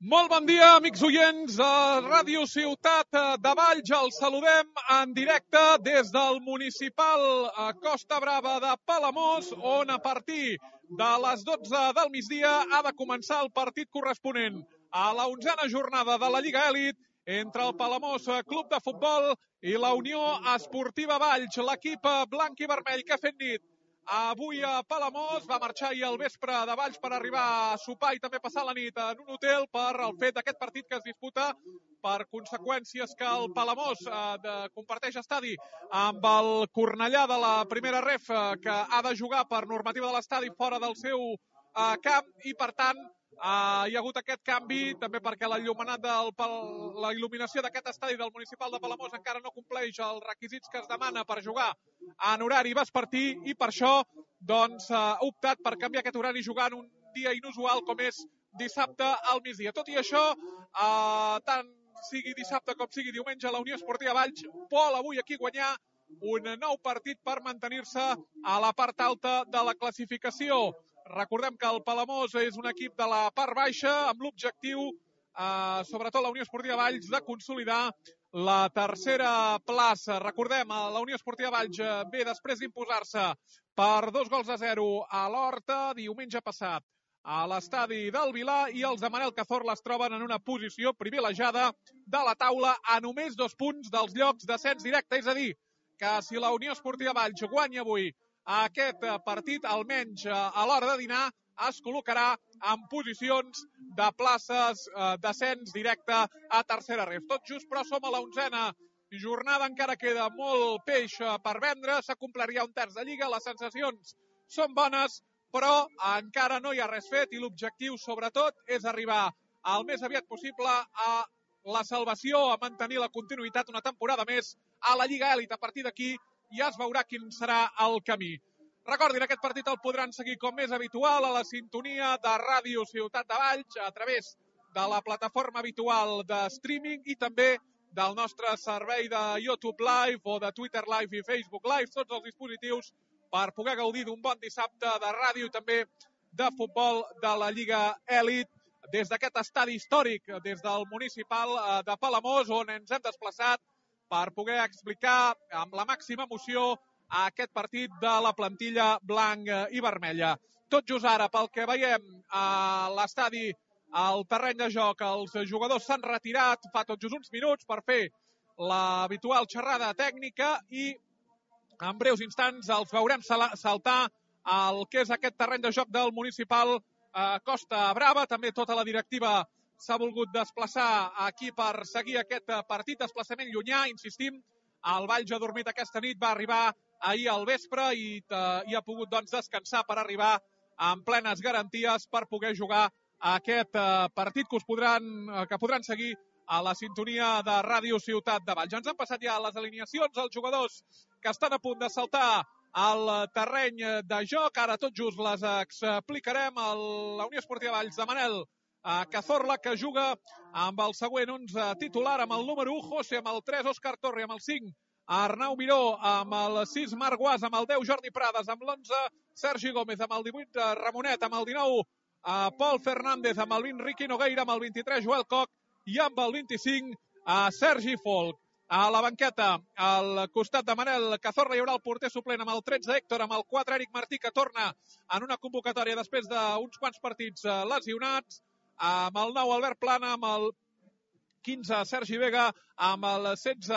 Molt bon dia, amics oients de Ràdio Ciutat de Valls. Els saludem en directe des del municipal Costa Brava de Palamós, on a partir de les 12 del migdia ha de començar el partit corresponent a la 11a jornada de la Lliga Èlit entre el Palamós Club de Futbol i la Unió Esportiva Valls. L'equip blanc i vermell que ha fet nit avui a Palamós va marxar ahir al vespre de Valls per arribar a sopar i també passar la nit en un hotel per el fet d'aquest partit que es disputa per conseqüències que el Palamós comparteix estadi amb el Cornellà de la primera ref, que ha de jugar per normativa de l'estadi fora del seu camp, i per tant hi ha hagut aquest canvi també perquè la il·luminació d'aquest estadi del municipal de Palamós encara no compleix els requisits que es demana per jugar en horari vespertí, i per això ha optat per canviar aquest horari jugant un dia inusual com és dissabte al migdia. Tot i això, tant sigui dissabte com sigui diumenge, la Unió Esportiva Valls vol avui aquí guanyar un nou partit per mantenir-se a la part alta de la classificació. Recordem que el Palamós és un equip de la part baixa amb l'objectiu, sobretot la Unió Esportiva Valls, de consolidar la tercera plaça. Recordem, la Unió Esportiva Valls ve després d'imposar-se per 2-0 a l'Horta diumenge passat a l'estadi del Vilar, i els de Manel Cazorla es troben en una posició privilegiada de la taula a només 2 punts dels llocs d'ascens directe. És a dir, que si la Unió Esportiva Valls guanya avui aquest partit, almenys a l'hora de dinar, es col·locarà en posicions de places d'ascens directe a tercera ref. Tot just, però, som a la 11a jornada, encara queda molt peix per vendre, s'ha complert ja un terç de Lliga, les sensacions són bones, però encara no hi ha res fet, i l'objectiu, sobretot, és arribar al més aviat possible a la salvació, a mantenir la continuïtat una temporada més a la Lliga Èlit. A partir d'aquí ja es veurà quin serà el camí. Recordin, aquest partit el podran seguir com és habitual a la sintonia de Ràdio Ciutat de Valls a través de la plataforma habitual de streaming i també del nostre servei de YouTube Live o de Twitter Live i Facebook Live, tots els dispositius per poder gaudir d'un bon dissabte de ràdio i també de futbol de la Lliga Èlit des d'aquest estadi històric, des del municipal de Palamós, on ens hem desplaçat per poder explicar amb la màxima emoció aquest partit de la plantilla blanc i vermella. Tot just ara, pel que veiem a l'estadi, al terreny de joc, els jugadors s'han retirat fa tot just uns minuts per fer l'habitual xerrada tècnica, i en breus instants els veurem saltar al que és aquest terreny de joc del municipal Costa Brava. També tota la directiva s'ha volgut desplaçar aquí per seguir aquest partit, desplaçament llunyà, insistim. El Valls ha dormit aquesta nit, va arribar ahir al vespre i ha pogut descansar per arribar amb plenes garanties per poder jugar aquest partit que podran seguir a la sintonia de Ràdio Ciutat de Valls. Ens han passat ja les alineacions, els jugadors que estan a punt de saltar al terreny de joc. Ara tot just les explicarem. La Unió Esportiva Valls de Manel Cazorla, que juga amb el següent 11 titular, amb el número 1, José, amb el 3, Òscar Torre, amb el 5, Arnau Miró, amb el 6, Marc Guas, amb el 10, Jordi Prades, amb l'11, Sergi Gómez, amb el 18, Ramonet, amb el 19, Pol Fernández, amb el 20, Riqui Nogueira, amb el 23, Joel Coc, i amb el 25, Sergi Folk. A la banqueta, al costat de Manel Cazorla, hi haurà el porter suplent amb el 13, Héctor, amb el 4, Eric Martí, que torna en una convocatòria després d'uns quants partits lesionats, amb el 9, Albert Plana, amb el 15, Sergi Vega, amb el 16,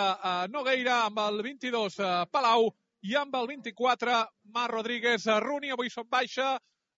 Nogueira, amb el 22, Palau, i amb el 24, Marc Rodríguez Runi. Avui són baixa,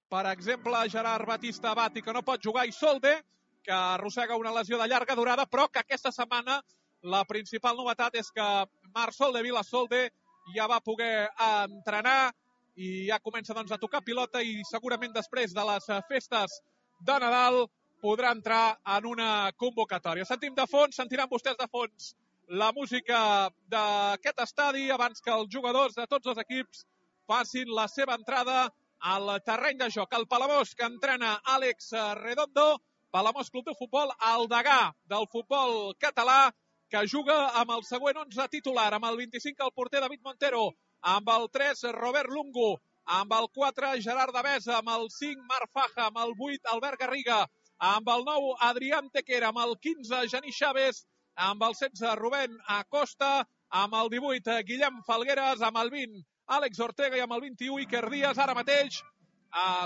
per exemple, Gerard Batista Bati, que no pot jugar, i Solde, que arrossega una lesió de llarga durada, però que aquesta setmana la principal novetat és que Marc Solde, Vila Solde, ja va poder entrenar i ja comença a tocar pilota, i segurament després de les festes de Nadal podrà entrar en una convocatòria. Sentiran vostès de fons la música d'aquest estadi abans que els jugadors de tots els equips facin la seva entrada al terreny de joc. El Palamós, que entrena Àlex Redondo, Palamós Club de Futbol, el degà del futbol català, que juga amb el següent 11 titular, amb el 25 el porter David Montero, amb el 3 Robert Lungo, amb el 4 Gerard Devesa, amb el 5 Marc Faja, amb el 8 Albert Garriga, amb el 9 Adrián Tequera, amb el 15 Genís Chaves, amb el 16 Rubén Acosta, amb el 18 Guillem Falgueres, amb el 20 Àlex Ortega i amb el 21 Iker Díaz. Ara mateix,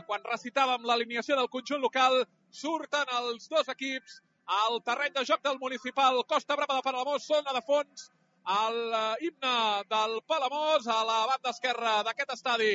quan recitàvem l'alineació del conjunt local, surten els dos equips al terreny de joc del municipal Costa Brava de Palamós. Sona de fons l'himne del Palamós a la banda esquerra d'aquest estadi.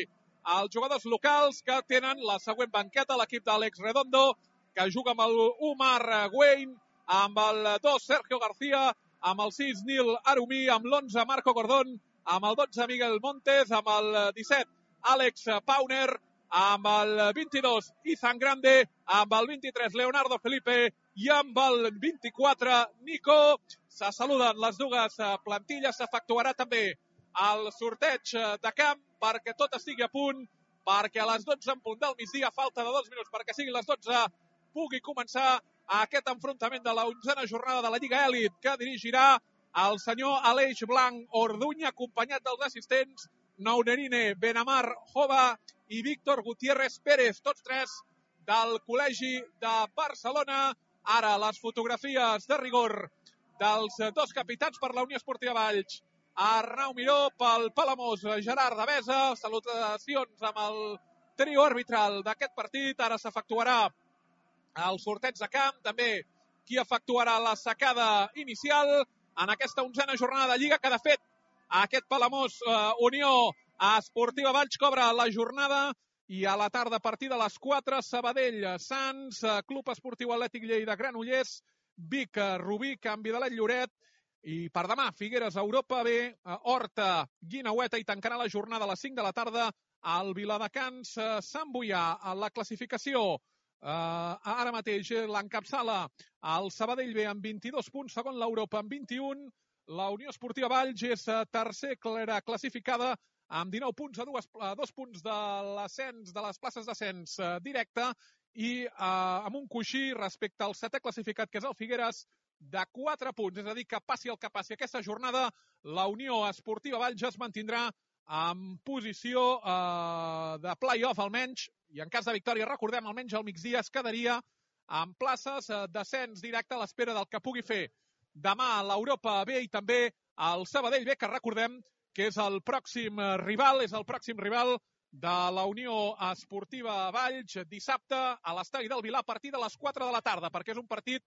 Els jugadors locals que tenen la següent banqueta, l'equip d'Àlex Redondo, que juga amb el Umar Wayne, amb el 2 Sergio García, amb el 6 Nil Arumí, amb l'11 Marco Gordón, amb el 12 Miguel Montes, amb el 17 Àlex Pauner, amb el 22 Izan Grande, amb el 23 Leonardo Felipe i amb el 24 Nico. Se saluden les dues plantilles, s'efectuarà també el sorteig de camp perquè tot estigui a punt, perquè a les 12 en punt del migdia, falta de 2 minuts perquè siguin les 12, pugui començar aquest enfrontament de la 11a jornada de la Lliga Èlit que dirigirà el senyor Aleix Blanc Orduña, acompanyat dels assistents Nounerine Benamar Jova i Víctor Gutiérrez Pérez, tots tres del Col·legi de Barcelona. Ara les fotografies de rigor dels dos capitans per la Unió Esportiva Valls. Arnau Miró pel Palamós, Gerard Devesa, salutacions amb el trio arbitral d'aquest partit. Ara s'efectuarà el sorteig de camp, també qui efectuarà la sacada inicial en aquesta 11a jornada de Lliga, que de fet aquest Palamós Unió Esportiva Valls cobra la jornada. I a la tarda, a partir de les 4, Sabadell, Sants, Club Esportiu Atlètic Lleida, Granollers, Vic, Rubí, Canvi de Lloret. I per demà, Figueres, Europa B, Horta, Guinaueta, i tancarà la jornada a les 5 de la tarda al Viladecans, Sant Boià. La classificació ara mateix l'encapçala el Sabadell B amb 22 punts, segon l'Europa amb 21. La Unió Esportiva Valls és tercer classificada amb 19 punts, a 2 punts de l'ascens, de les places d'ascens directe, i amb un coixí respecte al setè classificat, que és el Figueres, de 4 punts. És a dir, que passi el que passi aquesta jornada, la Unió Esportiva Valls es mantindrà en posició de play-off almenys, i en cas de victòria, recordem, almenys al migdia es quedaria en places d'ascens directe a l'espera del que pugui fer demà l'Europa B i també el Sabadell B, que recordem que és el pròxim rival, de la Unió Esportiva Valls dissabte a l'estadi del Vilar a partir de les 4 de la tarda, perquè és un partit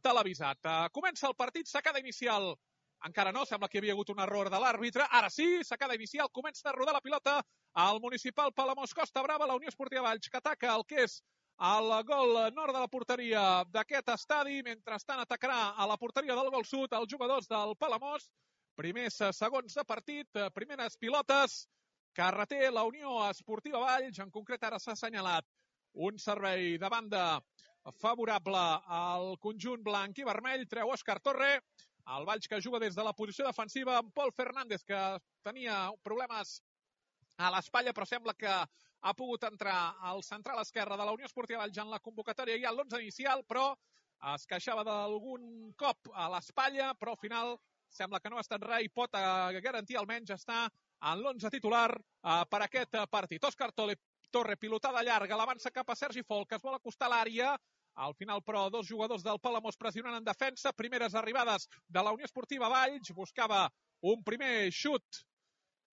televisat. Comença el partit, sacada inicial. Encara no, sembla que hi havia hagut un error de l'àrbitre. Ara sí, sacada inicial, comença a rodar la pilota al municipal Palamós Costa Brava, la Unió Esportiva Valls, que ataca el que és el gol nord de la porteria d'aquest estadi. Mentrestant atacarà a la porteria del gol sud els jugadors del Palamós. Primers segons de partit, primeres pilotes que reté la Unió Esportiva Valls. En concret ara s'ha assenyalat un servei de banda favorable al conjunt blanc i vermell. Treu Òscar Torre. El Valls que juga des de la posició defensiva amb Pol Fernández, que tenia problemes a l'espatlla, però sembla que ha pogut entrar al central esquerre de la Unió Esportiva Valls en la convocatòria ja a l'11 inicial, però es queixava d'algun cop a l'espatlla, però al final sembla que no ha estat res i pot garantir almenys estar en l'11 titular per aquest partit. Òscar Torre, pilotada llarga, l'avança cap a Sergi Folk, que es vol acostar a l'àrea. Al final, però, dos jugadors del Palamós pressionant en defensa. Primeres arribades de la Unió Esportiva Valls. Buscava un primer xut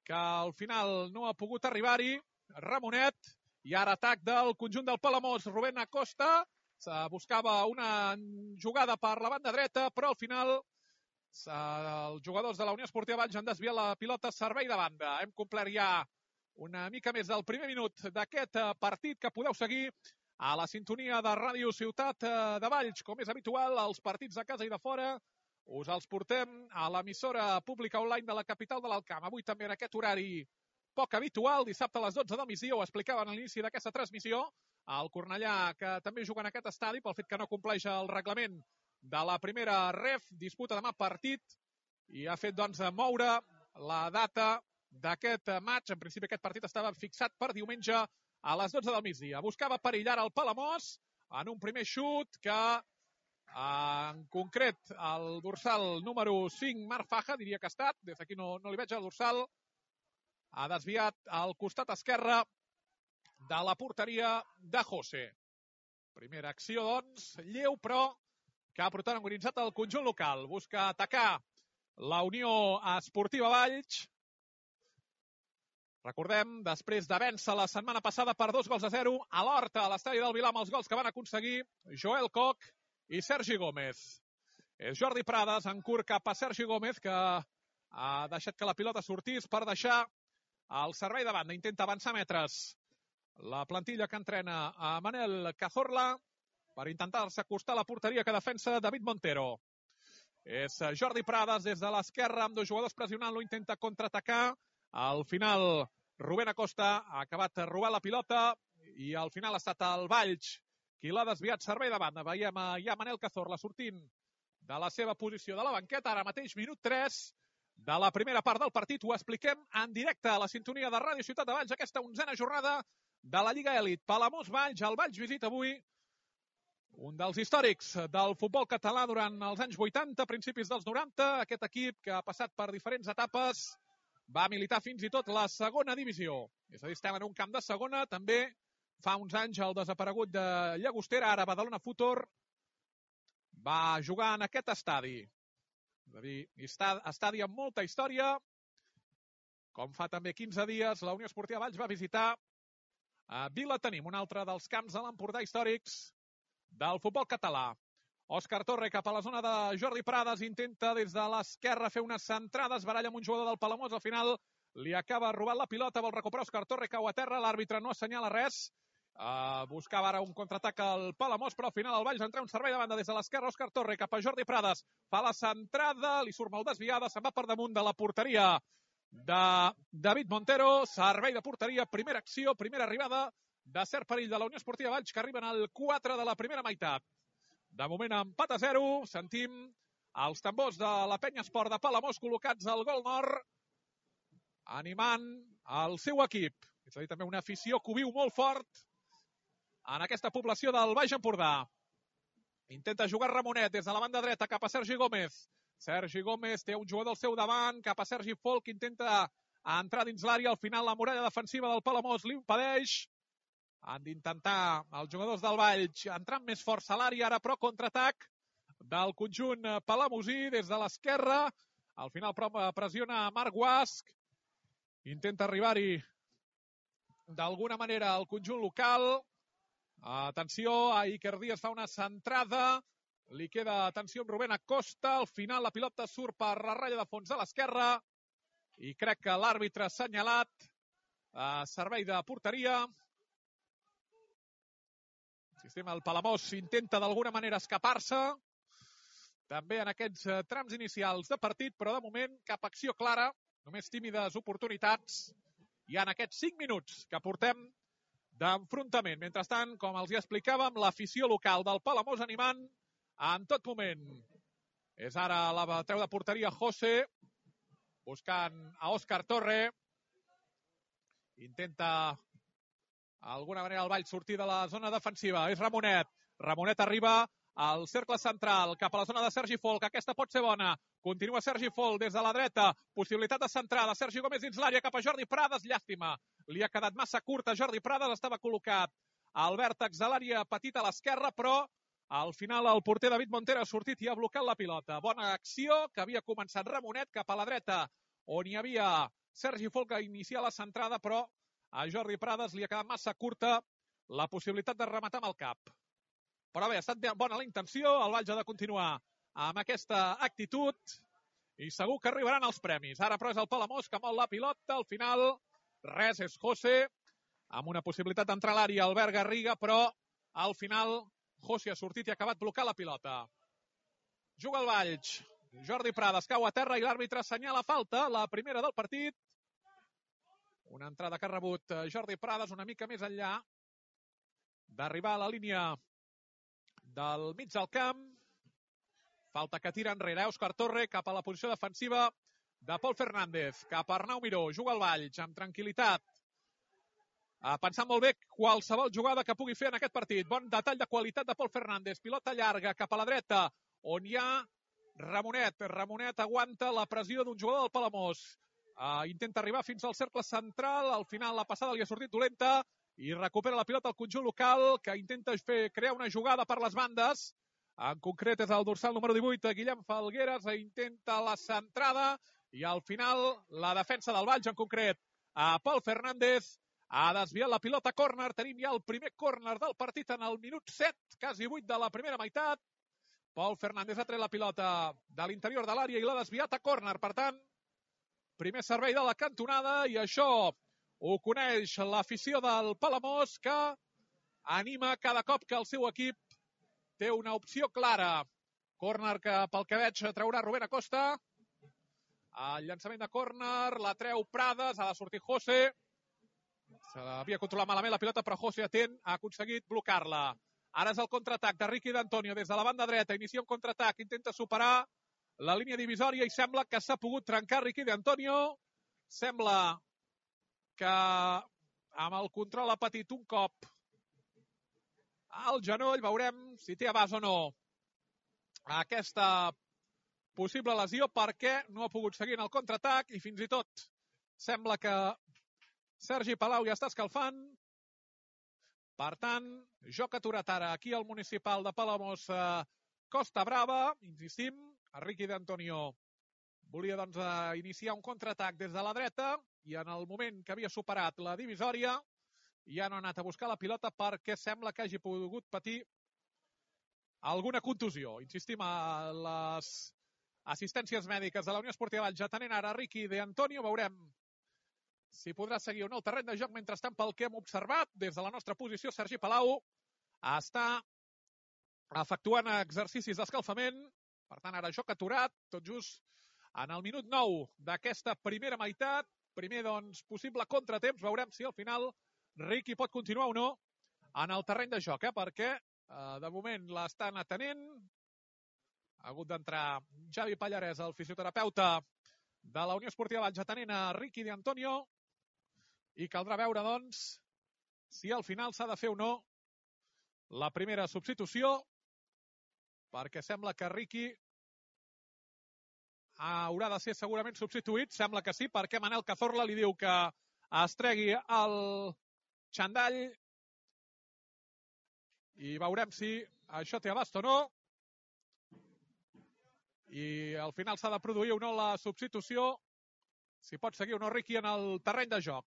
que al final no ha pogut arribar-hi. Ramonet. I ara atac del conjunt del Palamós. Rubén Acosta. Buscava una jugada per la banda dreta, però al final els jugadors de la Unió Esportiva Valls han desviat la pilota. Servei de banda. Hem complert ja una mica més del primer minut d'aquest partit, que podeu seguir a la sintonia de Ràdio Ciutat de Valls. Com és habitual, els partits de casa i de fora us els portem a l'emissora pública online de la capital de l'Alt Camp. Avui també en aquest horari poc habitual, dissabte a les 12 del migdia, ho explicaven a l'inici d'aquesta transmissió, el Cornellà, que també juga en aquest estadi pel fet que no compleix el reglament de la primera ref, disputa demà partit i ha fet doncs moure la data d'aquest maig. En principi aquest partit estava fixat per diumenge a les 12 del migdia. Buscava perillar el Palamós en un primer xut que, en concret, el dorsal número 5, Marc Faja, diria que ha estat, des d'aquí no li veig el dorsal, ha desviat al costat esquerre de la porteria de José. Primera acció, doncs, lleu, però que ha protagonitzat el conjunt local. Busca atacar la Unió Esportiva Valls. Recordem, després de vèncer la setmana passada per 2-0 a l'Horta, a l'estadi del Vilar, amb els gols que van aconseguir Joel Koch i Sergi Gómez. És Jordi Prades en curt cap a Sergi Gómez, que ha deixat que la pilota sortís per deixar el servei de banda. Intenta avançar metres la plantilla que entrena a Manel Cazorla per intentar-se acostar a la porteria que defensa David Montero. És Jordi Prades des de l'esquerra, amb dos jugadors pressionant-lo, intenta contraatacar. Al final, Rubén Acosta ha acabat robant la pilota i al final ha estat el Valls qui l'ha desviat servei de banda. Veiem ja Manel Cazorla sortint de la seva posició de la banqueta. Ara mateix, minut 3 de la primera part del partit. Ho expliquem en directe a la sintonia de Ràdio Ciutat de Valls, aquesta 11a jornada de la Lliga Elit. Palamós-Valls, el Valls visita avui un dels històrics del futbol català durant els anys 80, principis dels 90. Aquest equip que ha passat per diferents etapes va militar fins i tot la segona divisió. És a dir, estem en un camp de segona. També fa uns anys el desaparegut de Llagostera, ara Badalona Futur, va jugar en aquest estadi. És a dir, estadi amb molta història. Com fa també 15 dies, la Unió Esportiva Valls va visitar Vilatenim, un altre dels camps de l'Empordà històrics del futbol català. Òscar Torre cap a la zona de Jordi Prades, intenta des de l'esquerra fer una centrada, es baralla amb un jugador del Palamós, al final li acaba robant la pilota, vol recuperar Òscar Torre, cau a terra, l'àrbitre no assenyala res, buscava ara un contraatac al Palamós, però al final el Valls entra un servei de banda des de l'esquerra. Òscar Torre cap a Jordi Prades, fa la centrada, li surt mal desviada, se'n va per damunt de la porteria de David Montero. Servei de porteria, primera acció, primera arribada de cert perill de la Unió Esportiva Valls, que arriben al 4 de la primera meitat. De moment empat a 0, sentim els tambors de la Penya Esport de Palamós col·locats al gol nord, animant el seu equip. És a dir, també una afició que ho viu molt fort en aquesta població del Baix Empordà. Intenta jugar Ramonet des de la banda dreta cap a Sergi Gómez. Sergi Gómez té un jugador al seu davant, cap a Sergi Folk, intenta entrar dins l'àrea, al final la muralla defensiva del Palamós li impedeix. Han d'intentar els jugadors del Valls entrar amb més força a l'àrea, ara però contraatac del conjunt palamosí des de l'esquerra. Al final pressiona Marc Guasc, intenta arribar-hi d'alguna manera el conjunt local. Atenció, Iker Díaz fa una centrada, li queda atenció amb Rubén Acosta, al final la pilota surt per la ratlla de fons a l'esquerra i crec que l'àrbitre ha assenyalat servei de porteria. El Palamós intenta d'alguna manera escapar-se també en aquests trams inicials de partit, però de moment cap acció clara, només tímides oportunitats i en aquests 5 minuts que portem d'enfrontament. Mentrestant, com els hi explicàvem, l'afició local del Palamós animant en tot moment. És ara la treu de porteria José, buscant a Òscar Torre. Intenta d'alguna manera el Valls sortir de la zona defensiva. És Ramonet. Ramonet arriba al cercle central, cap a la zona de Sergi Folk. Aquesta pot ser bona. Continua Sergi Folk des de la dreta. Possibilitat de centrada. Sergi Gómez dins l'àrea cap a Jordi Prades. Llàstima. Li ha quedat massa curta. Jordi Prades estava col·locat al vèrtex de l'àrea petita a l'esquerra, però al final el porter David Montero ha sortit i ha blocat la pilota. Bona acció que havia començat Ramonet cap a la dreta, on hi havia Sergi Folk a iniciar la centrada, però a Jordi Prades li ha quedat massa curta la possibilitat de rematar amb el cap. Però bé, ha estat bona la intenció, el Valls ha de continuar amb aquesta actitud i segur que arribaran els premis. Ara però és el Palamós que mou la pilota, al final res, és José, amb una possibilitat d'entrar a l'àrea Albert Garriga, però al final José ha sortit i ha acabat blocant la pilota. Juga el Valls, Jordi Prades cau a terra i l'àrbitre assenyala falta, la primera del partit. Una entrada que ha rebut Jordi Prades una mica més enllà d'arribar a la línia del mig del camp. Falta que tira enrere Òscar Torre cap a la posició defensiva de Pol Fernández. Cap a Arnau Miró, juga el Valls amb tranquil·litat. Pensant molt bé qualsevol jugada que pugui fer en aquest partit. Bon detall de qualitat de Pol Fernández. Pilota llarga cap a la dreta, on hi ha Ramonet. Ramonet aguanta la pressió d'un jugador del Palamós. Intenta arribar fins al cercle central. Al final la passada li ha sortit dolenta i recupera la pilota al conjunt local, que intenta crear una jugada per les bandes. En concret és el dorsal número 18, Guillem Falgueres, intenta la centrada i al final la defensa del Valls, en concret a Pol Fernández, ha desviat la pilota a córner. Tenim ja el primer córner del partit en el minut 7, quasi 8 de la primera meitat. Pol Fernández ha tret la pilota de l'interior de l'àrea i l'ha desviat a córner. Per tant, primer servei de la cantonada i això ho coneix l'afició del Palamós, que anima cada cop que el seu equip té una opció clara. Córner que, pel que veig, traurà Rubén Acosta. El llançament de córner, la treu Prades, ha de sortir José. S'havia controlat malament la pilota, però José atent ha aconseguit blocar-la. Ara és el contraatac de Ricky d'Antonio des de la banda dreta. Inicia un contraatac, intenta superar la línia divisòria i sembla que s'ha pogut trencar Ricky d'Antonio. Sembla que amb el control ha patit un cop al genoll. Veurem si té abast o no aquesta possible lesió, perquè no ha pogut seguir en el contraatac i fins i tot sembla que Sergi Palau ja està escalfant. Per tant, joc aturat ara aquí al municipal de Palamós, Costa Brava. Insistim, Ricky d'Antonio volia doncs iniciar un contraatac des de la dreta i en el moment que havia superat la divisòria ja no ha anat a buscar la pilota perquè sembla que hagi pogut patir alguna contusió. Insistim, a les assistències mèdiques de la Unió Esportiva Valls atenent ara Ricky d'Antonio. Veurem si podrà seguir o no el terreny de joc. Mentrestant, pel que hem observat des de la nostra posició, Sergi Palau està efectuant exercicis d'escalfament. Per tant, ara joc aturat, tot just en el minut 9 d'aquesta primera meitat. Primer, doncs, possible contratemps. Veurem si al final Ricky pot continuar o no en el terreny de joc, perquè de moment l'estan atenent. Ha hagut d'entrar Javi Pallarès, el fisioterapeuta de la Unió Esportiva Valls, atenent a Ricky d'Antonio. I caldrà veure, doncs, si al final s'ha de fer o no la primera substitució, perquè sembla que Ricky haurà de ser segurament substituït. Sembla que sí, perquè Manel Cazorla li diu que es tregui el xandall i veurem si això té abast o no. I al final s'ha de produir o no la substitució, si pot seguir o no Ricky en el terreny de joc.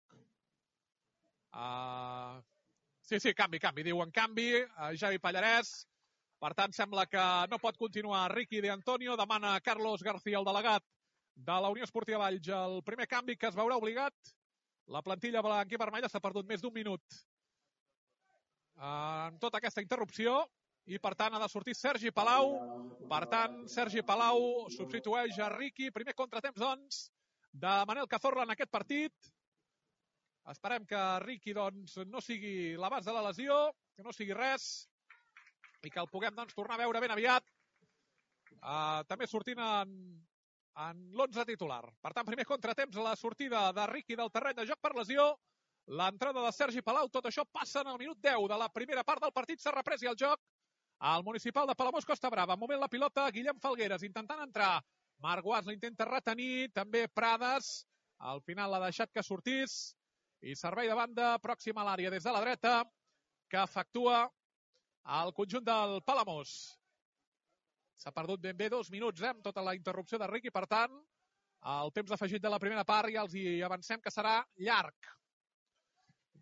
Sí, canvi, diuen canvi, Javi Pallarès. Per tant, sembla que no pot continuar Ricky d'Antonio. Demana Carlos García, el delegat de la Unió Esportiva Valls, el primer canvi que es veurà obligat. La plantilla blanc i vermella s'ha perdut més d'un minut en tota aquesta interrupció i, per tant, ha de sortir Sergi Palau. Per tant, Sergi Palau substitueix a Ricky. Primer contratemps, doncs, de Manel Cazorla en aquest partit. Esperem que Ricky, doncs, no sigui l'abast de la lesió, que no sigui res, i que el puguem, doncs, tornar a veure ben aviat, també sortint en l'11 titular. Per tant, primer contratemps, la sortida de Ricky del terreny de joc per lesió, l'entrada de Sergi Palau. Tot això passa en el minut 10 de la primera part del partit. S'ha reprès ja el joc al municipal de Palamós, Costa Brava. Movent la pilota, Guillem Falgueres intentant entrar. Marc Guas l'intenta retenir, també Prades. Al final l'ha deixat que sortís. I servei de banda, pròxima a l'àrea des de la dreta, que efectua el conjunt del Palamós. S'ha perdut ben bé 2 minuts amb tota la interrupció de Ricky. Per tant, el temps afegit de la primera part ja els hi avancem que serà llarg.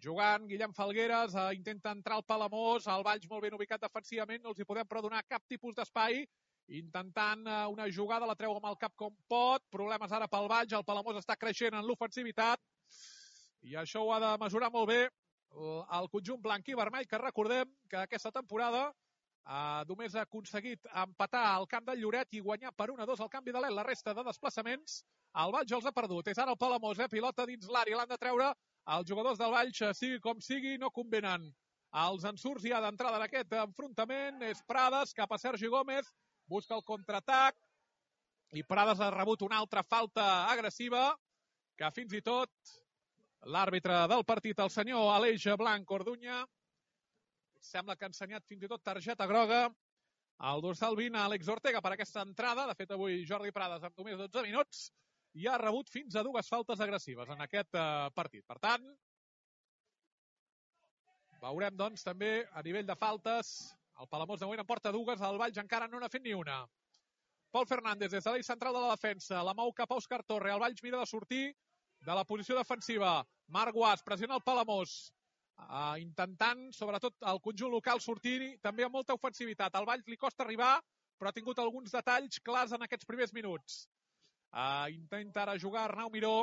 Jugant Guillem Falgueres, intenta entrar al Palamós, el Valls molt ben ubicat defensivament, no els hi podem però donar cap tipus d'espai, intentant una jugada, la treu amb el cap com pot, problemes ara pel Valls, el Palamós està creixent en l'ofensivitat, i això ho ha de mesurar molt bé el conjunt blanc i vermell, que recordem que aquesta temporada només ha aconseguit empatar al camp del Lloret i guanyar per 1-2 al canvi de l'El. La resta de desplaçaments el Valls els ha perdut. És ara el Palamós, pilota dins l'àrea, l'han de treure. Els jugadors del Valls, sigui com sigui, no convenen. Els ensurts ja d'entrada en aquest enfrontament. És Prades cap a Sergi Gómez, busca el contraatac i Prades ha rebut una altra falta agressiva que fins i tot l'àrbitre del partit, el senyor Aleix Blanc Orduña, sembla que ha ensenyat fins i tot targeta groga al dorsal 20 a Àlex Ortega per aquesta entrada. De fet, avui Jordi Prades, amb només 12 minuts, ja ha rebut fins a 2 faltes agressives en aquest partit. Per tant, Veurem, doncs, també a nivell de faltes. El Palamós de moment en porta dues, el Valls encara no n'ha fet ni una. Pol Fernández des de l'eix central de la defensa, la mou cap a Òscar Torre, el Valls mira de sortir de la posició defensiva. Marc Guas pressiona el Palamós, intentant, sobretot, el conjunt local sortir també amb molta ofensivitat. Al Valls li costa arribar, però ha tingut alguns detalls clars en aquests primers minuts. Intenta ara jugar Arnau Miró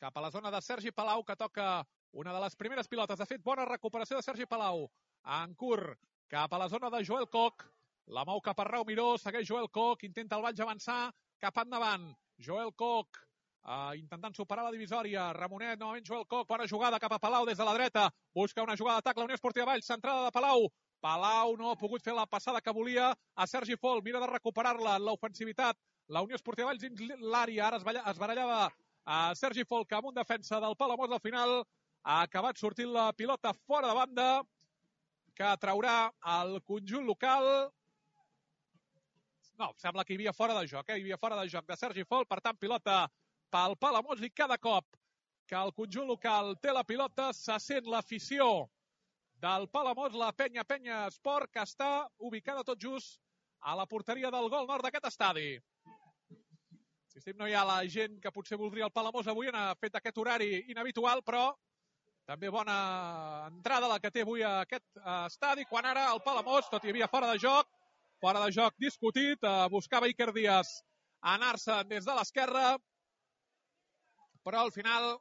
cap a la zona de Sergi Palau, que toca una de les primeres pilotes. De fet, bona recuperació de Sergi Palau. En curt, cap a la zona de Joel Koch. La mou cap a Arnau Miró, segueix Joel Koch, intenta el Valls avançar cap endavant. Joel Koch intentant superar la divisòria. Ramonet, novament Joel Koch, bona jugada cap a Palau des de la dreta. Busca una jugada d'atac, la Unió Esportiva Valls, centrada de Palau. Palau no ha pogut fer la passada que volia a Sergi Fol, mira de recuperar-la en l'ofensivitat. La Unió Esportiva Valls dins l'àrea, ara es barallava a Sergi Fol, que amb un defensa del Palamós al final ha acabat sortint la pilota fora de banda, que traurà el conjunt local. No, sembla que hi havia fora de joc, hi havia fora de joc de Sergi Fol, per tant, pilota pel Palamós, i cada cop que el conjunt local té la pilota se sent l'afició del Palamós, la Penya Esport, que està ubicada tot just a la porteria del gol nord d'aquest estadi. Insistim, no hi ha la gent que potser voldria el Palamós avui, ha fet aquest horari inhabitual, però també bona entrada la que té avui a aquest estadi, quan ara el Palamós, tot hi havia fora de joc discutit, buscava Iker Díaz anar-se des de l'esquerra, però al final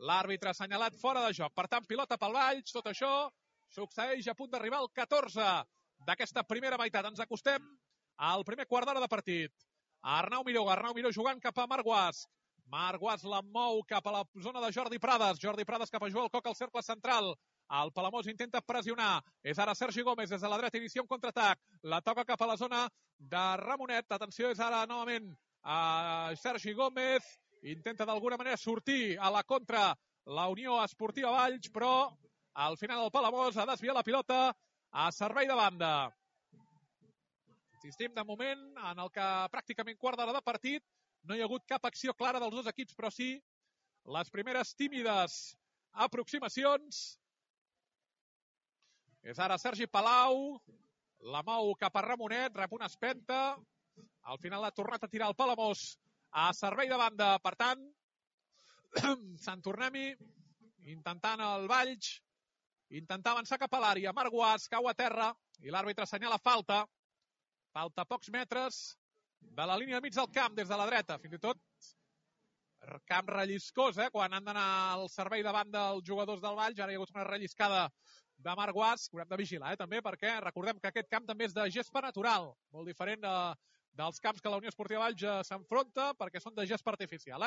l'àrbitre ha assenyalat fora de joc. Per tant, pilota pel Valls, tot això succeeix a punt d'arribar al 14 d'aquesta primera meitat. Ens acostem al primer quart d'hora de partit. Arnau Miró jugant cap a Marc Guas. Marc Guas la mou cap a la zona de Jordi Prades. Jordi Prades cap a Joel Koch al cercle central. El Palamós intenta pressionar. És ara Sergi Gómez des de la dreta, inicia un contraatac. La toca cap a la zona de Ramonet. Atenció, és ara novament a Sergi Gómez. Intenta d'alguna manera sortir a la contra la Unió Esportiva Valls, però al final el Palamós ha desviat la pilota a servei de banda. Insistim, de moment, en el que pràcticament quart d'hora de partit no hi ha hagut cap acció clara dels dos equips, però sí les primeres tímides aproximacions. És ara Sergi Palau, la mou cap a Ramonet, rep una espenta, al final ha tornat a tirar el Palamós a servei de banda. Per tant, Sant Tornem-hi, intentant el Valls, intentar avançar cap a l'àrea. Marc Guas cau a terra i l'àrbitre assenyala falta. Falta pocs metres de la línia mig del camp, des de la dreta. Fins i tot camp relliscós, quan han d'anar al servei de banda els jugadors del Valls. Ara hi ha hagut una relliscada de Marc Guas, que haurem de vigilar, també, perquè recordem que aquest camp també és de gespa natural, molt diferent dels camps que la Unió Esportiva Valls s'enfronta, perquè són de gespa artificial.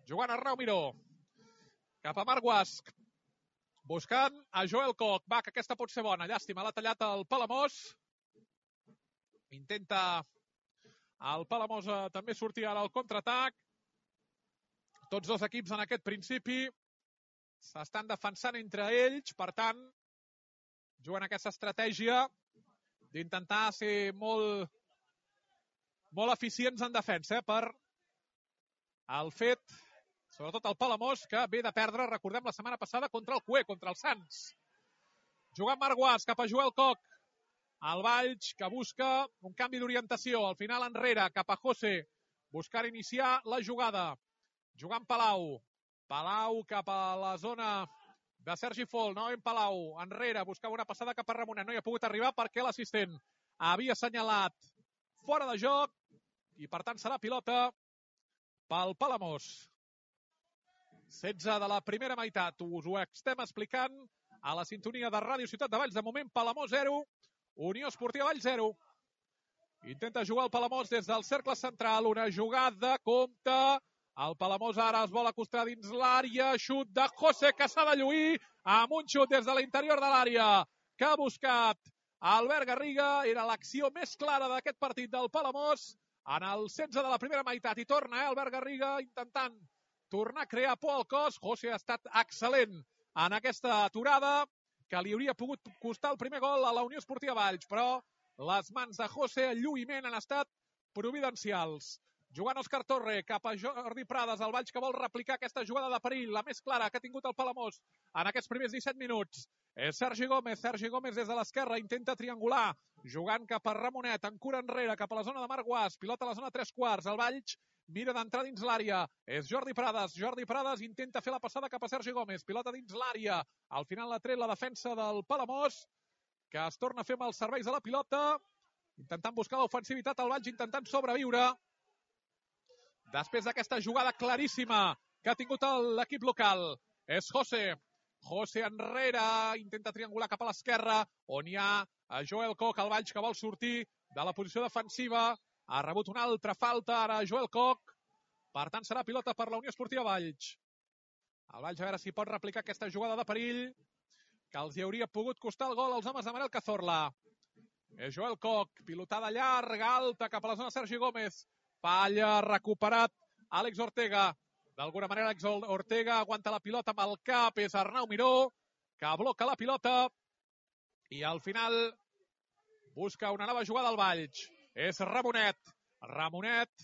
Jugant Arnau Miró cap a Marc Guas, buscant a Joel Koch. Va, que aquesta pot ser bona. Llàstima, l'ha tallat el Palamós. Intenta el Palamós també sortir ara al contraatac. Tots dos equips en aquest principi s'estan defensant entre ells, per tant, juguen aquesta estratègia d'intentar ser molt eficients en defensa, per el fet, sobretot el Palamós, que ve de perdre, recordem, la setmana passada contra el CUE, contra el Sants. Jugant Marc Guas cap a Joel Koch. El Valls, que busca un canvi d'orientació. Al final enrere, cap a José, buscar iniciar la jugada. Jugant Palau. Palau cap a la zona de Sergi Fol. Novament Palau, enrere, buscava una passada cap a Ramonet. No hi ha pogut arribar perquè l'assistent havia assenyalat fora de joc i, per tant, serà pilota pel Palamós. 16 de la primera meitat. Us ho estem explicant a la sintonia de Ràdio Ciutat de Valls. De moment, Palamós 0, Unió Esportiva Valls 0. Intenta jugar el Palamós des del cercle central. Una jugada, compte. El Palamós ara es vol acostar dins l'àrea. Xut de José, que s'ha de lluir amb un xut des de l'interior de l'àrea que ha buscat Albert Garriga. Era l'acció més clara d'aquest partit del Palamós en el 16 de la primera meitat. I torna Albert Garriga intentant tornar a crear por al cos. José ha estat excel·lent en aquesta aturada, que li hauria pogut costar el primer gol a la Unió Esportiva Valls, però les mans de José, el lluïment, han estat providencials. Jugant Òscar Torre cap a Jordi Prades, el Valls que vol replicar aquesta jugada de perill, la més clara que ha tingut el Palamós en aquests primers 17 minuts. És Sergi Gómez des de l'esquerra, intenta triangular, jugant cap a Ramonet, en cura enrere, cap a la zona de Marc Guas, pilota a la zona 3/4, el Valls mira d'entrar dins l'àrea, és Jordi Prades intenta fer la passada cap a Sergi Gómez, pilota dins l'àrea, al final l'ha tret la defensa del Palamós, que es torna a fer amb els serveis de la pilota, intentant buscar l'ofensivitat al Valls, intentant sobreviure, després d'aquesta jugada claríssima que ha tingut l'equip local. És José enrere, intenta triangular cap a l'esquerra, on hi ha Joel Koch, el Valls que vol sortir de la posició defensiva. Ha rebut una altra falta ara Joel Koch. Per tant, serà pilota per la Unió Esportiva Valls. El Valls a veure si pot replicar aquesta jugada de perill que els hi hauria pogut costar el gol als homes de Manel Cazorla. És Joel Koch, pilotada llarga, alta, cap a la zona Sergi Gómez. Falla, recuperat Àlex Ortega. D'alguna manera, Àlex Ortega aguanta la pilota amb el cap. És Arnau Miró, que bloca la pilota. I al final busca una nova jugada al Valls. És Ramonet. Ramonet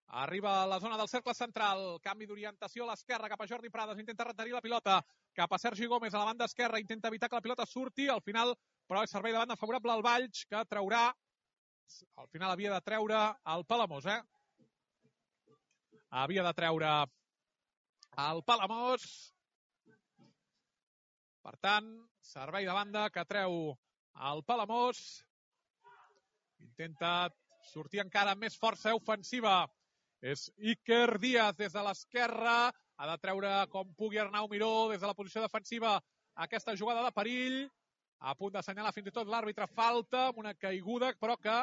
arriba a la zona del cercle central. Canvi d'orientació a l'esquerra cap a Jordi Prades. Intenta retenir la pilota cap a Sergi Gómez a la banda esquerra. Intenta evitar que la pilota surti. Al final, però, és servei de banda favorable al Valls, que traurà. Al final havia de treure el Palamós, Havia de treure el Palamós. Per tant, servei de banda que treu el Palamós. Intenta sortir encara amb més força ofensiva. És Iker Díaz des de l'esquerra. Ha de treure com pugui Arnau Miró des de la posició defensiva aquesta jugada de perill. A punt d'assenyalar fins i tot l'àrbitre falta amb una caiguda, però que,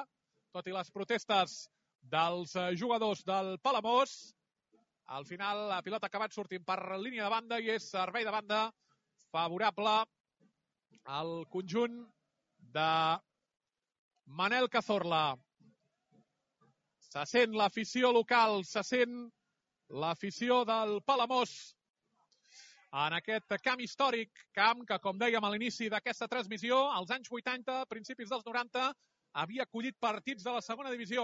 tot i les protestes dels jugadors del Palamós, al final la pilota ha acabat sortint per línia de banda i és servei de banda favorable al conjunt de Manel Cazorla. Se sent l'afició local, se sent l'afició del Palamós en aquest camp històric, camp que, com dèiem a l'inici d'aquesta transmissió, als anys 80, principis dels 90, havia acollit partits de la segona divisió,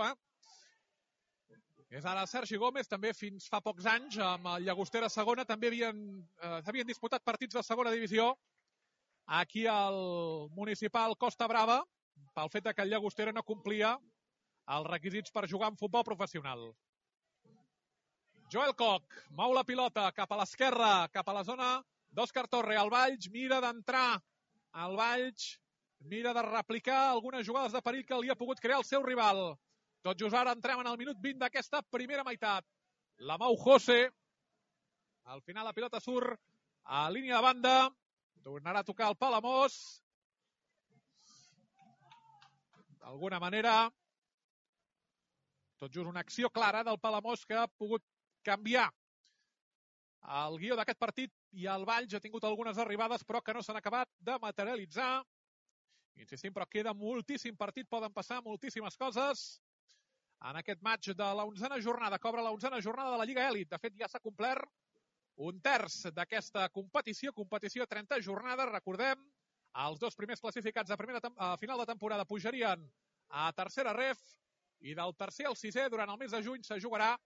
És ara Sergi Gómez, també fins fa pocs anys, amb el Llagostera segona, també havien disputat partits de segona divisió aquí al municipal Costa Brava, pel fet que el Llagostera no complia els requisits per jugar en futbol professional. Joel Koch mou la pilota cap a l'esquerra, cap a la zona d'Òscar Torre. El Valls mira d'entrar. El Valls mira de replicar algunes jugades de perill que li ha pogut crear el seu rival. Tot just ara entrem en el minut 20 d'aquesta primera meitat. La mou José. Al final la pilota surt a línia de banda. Tornarà a tocar el Palamós. D'alguna manera, tot just una acció clara del Palamós que ha pogut canviar el guió d'aquest partit i el Valls ha tingut algunes arribades però que no s'han acabat de materialitzar. Insistim, però queda moltíssim partit, poden passar moltíssimes coses en aquest match de la 11a jornada, que obre la 11a jornada de la Lliga Elit. De fet, ja s'ha complert un terç d'aquesta competició de 30 jornades. Recordem, els dos primers classificats a final de temporada pujarien a tercera ref i del tercer al sisè durant el mes de juny se jugarà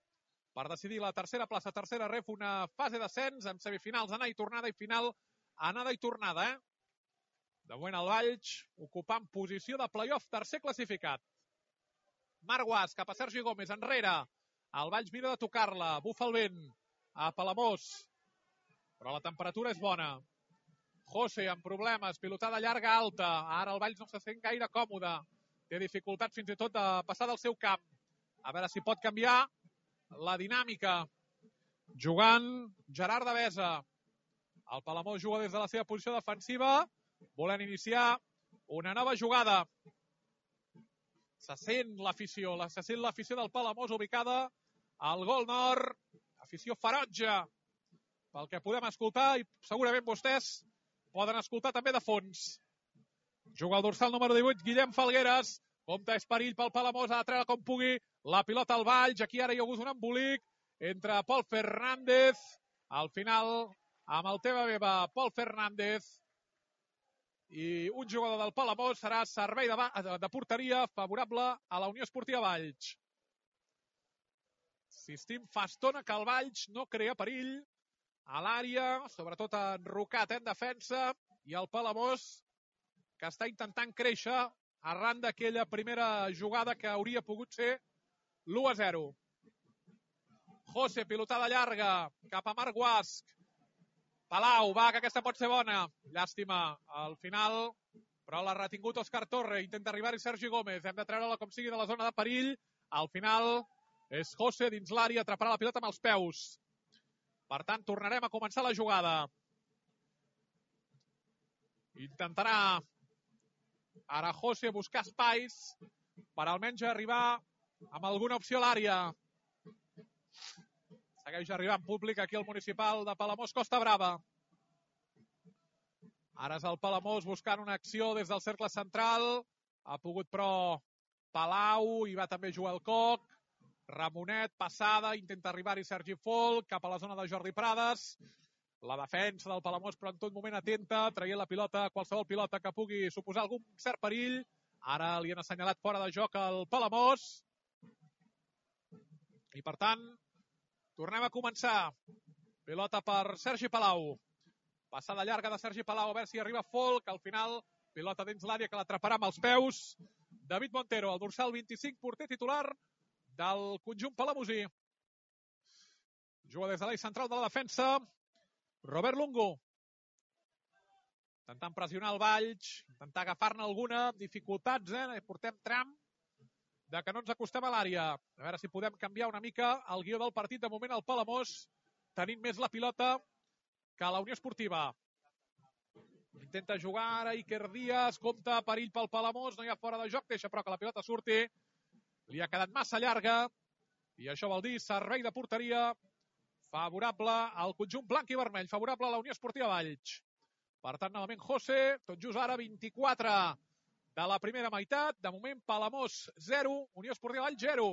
per decidir la tercera plaça, tercera ref, una fase d'ascens amb semifinals, anada i tornada i final, anada i tornada. De moment el Valls ocupant posició de play-off, tercer classificat. Marc Guas cap a Sergi Gómez, enrere. El Valls mira de tocar-la, bufa el vent a Palamós, però la temperatura és bona. José amb problemes, pilotada llarga alta. Ara el Valls no se sent gaire còmode. Té dificultats fins i tot de passar del seu camp. A veure si pot canviar la dinàmica. Jugant Gerard Devesa. El Palamós juga des de la seva posició defensiva, volent iniciar una nova jugada. Se sent l'afició del Palamós ubicada al gol nord. Afició ferotge, pel que podem escoltar, i segurament vostès poden escoltar també de fons. Juga el dorsal número 18, Guillem Falgueres. Compte és perill pel Palamós, ha de treure com pugui la pilota al Valls. Aquí ara hi ha hagut un embolic entre Pol Fernández. Al final, amb el teva beba, Pol Fernández i un jugador del Palamós, serà servei de porteria favorable a la Unió Esportiva Valls. Insistim, fa estona que el Valls no crea perill a l'àrea, sobretot enrocat en defensa, i el Palamós, que està intentant créixer arran d'aquella primera jugada que hauria pogut ser l'1-0. José, pilotada llarga, cap a Marc Guasc. Palau, va, que aquesta pot ser bona. Llàstima, al final, però l'ha retingut Òscar Torre. Intenta arribar-hi Sergi Gómez. Hem de treure-la com sigui de la zona de perill. Al final és José dins l'àrea, atraparà la pilota amb els peus. Per tant, tornarem a començar la jugada. Intentarà ara José buscar espais per almenys arribar amb alguna opció a l'àrea. Segueix arribant públic aquí al municipal de Palamós, Costa Brava. Ara és el Palamós buscant una acció des del cercle central. Ha pogut, però, Palau, hi va també Joel Coc. Ramonet, passada, intenta arribar-hi Sergi Folk, cap a la zona de Jordi Prades. La defensa del Palamós, però en tot moment atenta, traient la pilota, qualsevol pilota que pugui suposar algun cert perill. Ara li han assenyalat fora de joc al Palamós. I, per tant, tornem a començar. Pilota per Sergi Palau. Passada llarga de Sergi Palau, a veure si arriba Folk. Al final, pilota dins l'àrea que l'atraparà amb els peus. David Montero, el dorsal 25, porter titular del conjunt palamosí. Juga des de l'eix central de la defensa. Robert Lungo. Intentant pressionar el Valls, intentar agafar-ne alguna. Dificultats, portem tram de que no ens acostem a l'àrea. A veure si podem canviar una mica el guió del partit. De moment el Palamós tenint més la pilota que la Unió Esportiva. Intenta jugar ara Iker Díaz, compta perill pel Palamós, no hi ha fora de joc, deixa però que la pilota surti. Li ha quedat massa llarga i això vol dir servei de porteria favorable al conjunt blanc i vermell, favorable a la Unió Esportiva Valls. Per tant, novament José, tot just ara 24 de la primera meitat. De moment, Palamós 0, Unió Esportiva Valls 0.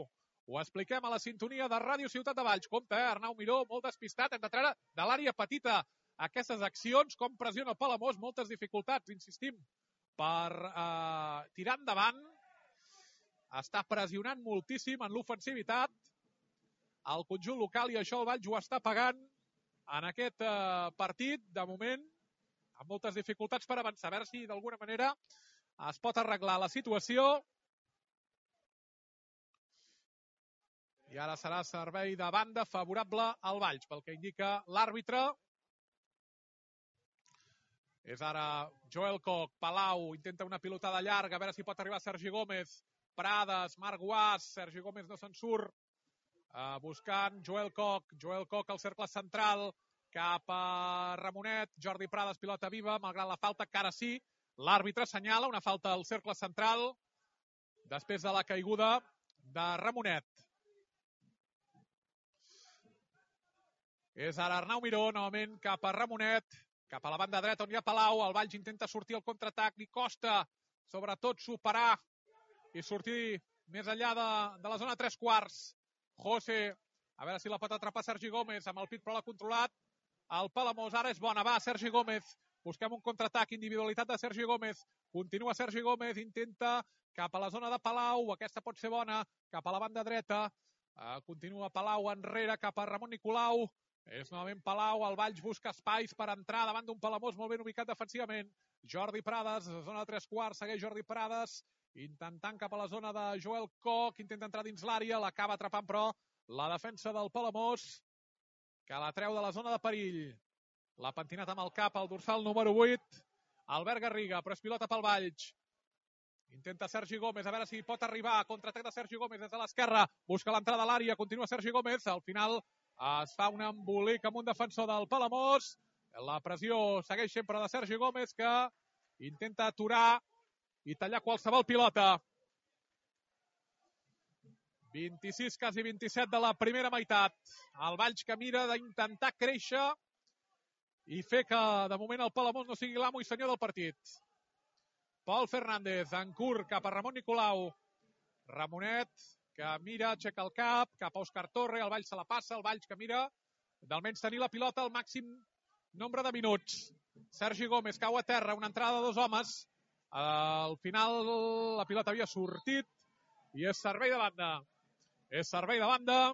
Ho expliquem a la sintonia de Ràdio Ciutat de Valls. Compte, Arnau Miró, molt despistat. Hem de treure de l'àrea petita aquestes accions. Com pressiona el Palamós, moltes dificultats, insistim, per tirar endavant. Està pressionant moltíssim en l'ofensivitat el conjunt local i això el Valls ho està pagant en aquest partit, de moment, amb moltes dificultats per avançar. A veure si d'alguna manera es pot arreglar la situació. I ara serà servei de banda favorable al Valls, pel que indica l'àrbitre. És ara Joel Coc, Palau, intenta una pilotada llarga, a veure si pot arribar Sergi Gómez, Prades, Marc Guas, Sergi Gómez no se'n surt. Buscant Joel Coc al cercle central, cap a Ramonet, Jordi Prades, pilota viva, malgrat la falta, que ara sí, l'àrbitre assenyala una falta al cercle central, després de la caiguda de Ramonet. És ara Arnau Miró, novament cap a Ramonet, cap a la banda dreta on hi ha Palau, el Valls intenta sortir al contraatac, li costa sobretot superar i sortir més enllà de la zona 3/4. José, a veure si la pot atrapar Sergi Gómez, amb el pit però l'ha controlat. El Palamós ara és bona, va, Sergi Gómez. Busquem un contraatac, individualitat de Sergi Gómez. Continua Sergi Gómez, intenta cap a la zona de Palau, aquesta pot ser bona, cap a la banda dreta. Continua Palau enrere cap a Ramon Nicolau. És novament Palau, el Valls busca espais per entrar davant d'un Palamós molt ben ubicat defensivament. Jordi Prades, zona de 3/4, segueix Jordi Prades, intentant cap a la zona de Joel Coc, intenta entrar dins l'àrea, l'acaba atrapant però la defensa del Palamós, que la treu de la zona de perill. L'ha pentinat amb el cap al dorsal número 8, Albert Garriga, però és pilota pel Valls. Intenta Sergi Gómez, a veure si pot arribar, contraatac de Sergi Gómez des de l'esquerra, busca l'entrada a l'àrea, continua Sergi Gómez, al final es fa un embolic amb un defensor del Palamós, la pressió segueix sempre de Sergi Gómez, que intenta aturar i tallar qualsevol pilota. 26, quasi 27 de la primera meitat. El Valls que mira d'intentar créixer i fer que de moment el Palamós no sigui l'amo i senyor del partit. Pol Fernández, en curt, cap a Ramon Nicolau. Ramonet, que mira, aixeca el cap, cap a Òscar Torre, el Valls se la passa, el Valls que mira d'almenys tenir la pilota al màxim nombre de minuts. Sergi Gómez cau a terra, una entrada de dos homes. Al final la pilota havia sortit i és servei de banda. És servei de banda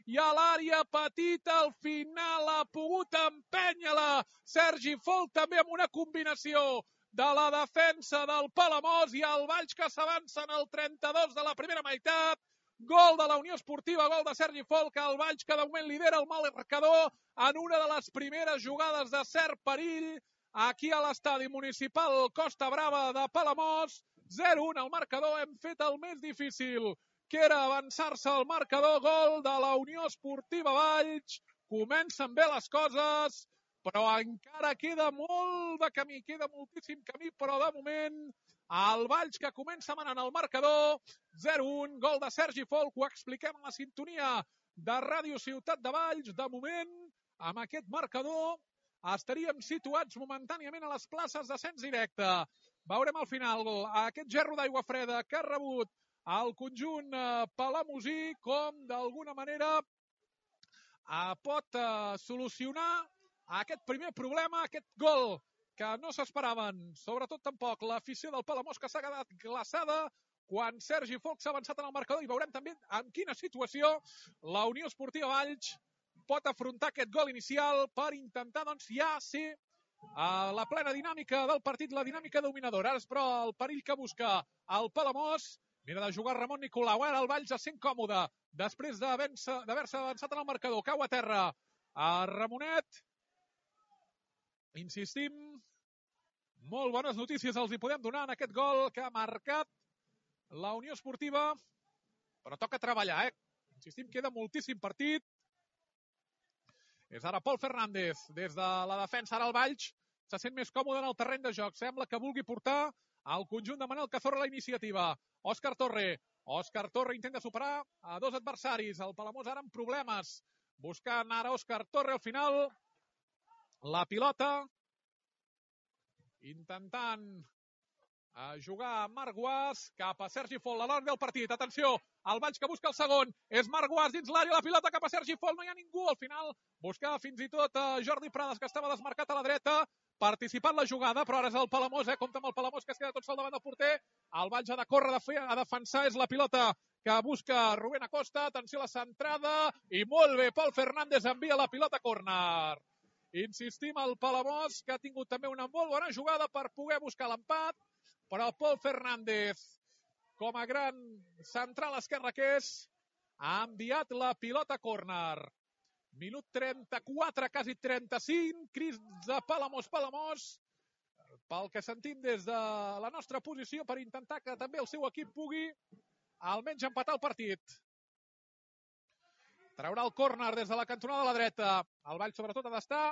i a l'àrea petita al final ha pogut empènyer-la Sergi Folk també amb una combinació de la defensa del Palamós i el Valls que s'avança en el 32 de la primera meitat. Gol de la Unió Esportiva, gol de Sergi Folk, el Valls que de moment lidera el marcador en una de les primeres jugades de cert perill aquí a l'estadi municipal Costa Brava de Palamós. 0-1 al marcador, hem fet el més difícil, que era avançar-se al marcador. Gol de la Unió Esportiva Valls. Comencen bé les coses, però encara queda molt de camí, queda moltíssim camí, però de moment el Valls que comença manant el marcador. 0-1, gol de Sergi Folk, ho expliquem a la sintonia de Ràdio Ciutat de Valls. De moment, amb aquest marcador, estaríem situats momentàniament a les places d'ascens directe. Veurem al final aquest gerro d'aigua freda que ha rebut el conjunt palamosí, com d'alguna manera pot solucionar aquest primer problema, aquest gol que no s'esperaven, sobretot tampoc l'afició del Palamós, que s'ha quedat glaçada quan Sergi Folk s'ha avançat en el marcador, i veurem també en quina situació la Unió Esportiva Valls pot afrontar aquest gol inicial per intentar ja ser la plena dinàmica del partit, la dinàmica dominadora. Ara, però, el perill que busca el Palamós. Mira de jugar Ramon Nicolau, ara el Valls ja sent còmode després d'haver-se avançat en el marcador. Cau a terra a Ramonet. Insistim, molt bones notícies els hi podem donar en aquest gol que ha marcat la Unió Esportiva, però toca treballar, Insistim, queda moltíssim partit. És ara Pol Fernández, des de la defensa. Ara el Valls se sent més còmode en el terreny de joc. Sembla que vulgui portar al conjunt de Manel Cazorla la iniciativa. Òscar Torre intenta superar a dos adversaris. El Palamós ara amb problemes. Buscant ara Òscar Torre al final. La pilota. Intentant jugar Marc Guas cap a Sergi Folk, a l'hora del partit. Atenció, el Valls que busca el segon. És Marc Guas dins l'àrea, la pilota cap a Sergi Folk. No hi ha ningú al final. Buscava fins i tot Jordi Prades, que estava desmarcat a la dreta, participant la jugada, però ara és el Palamós, compta amb el Palamós, que es queda tot sol davant del porter. El Valls ha de córrer a defensar, és la pilota que busca Rubén Acosta. Atenció a la centrada, i molt bé, Pol Fernández envia la pilota a córner. Insistim, el Palamós, que ha tingut també una molt bona jugada per poder buscar l'empat, però Pol Fernández, com a gran central esquerre que és, ha enviat la pilota a córner. Minut 34, quasi 35, crits de Palamós, pel que sentim des de la nostra posició, per intentar que també el seu equip pugui almenys empatar el partit. Traurà el córner des de la cantonada de la dreta. El Valls, sobretot, ha d'estar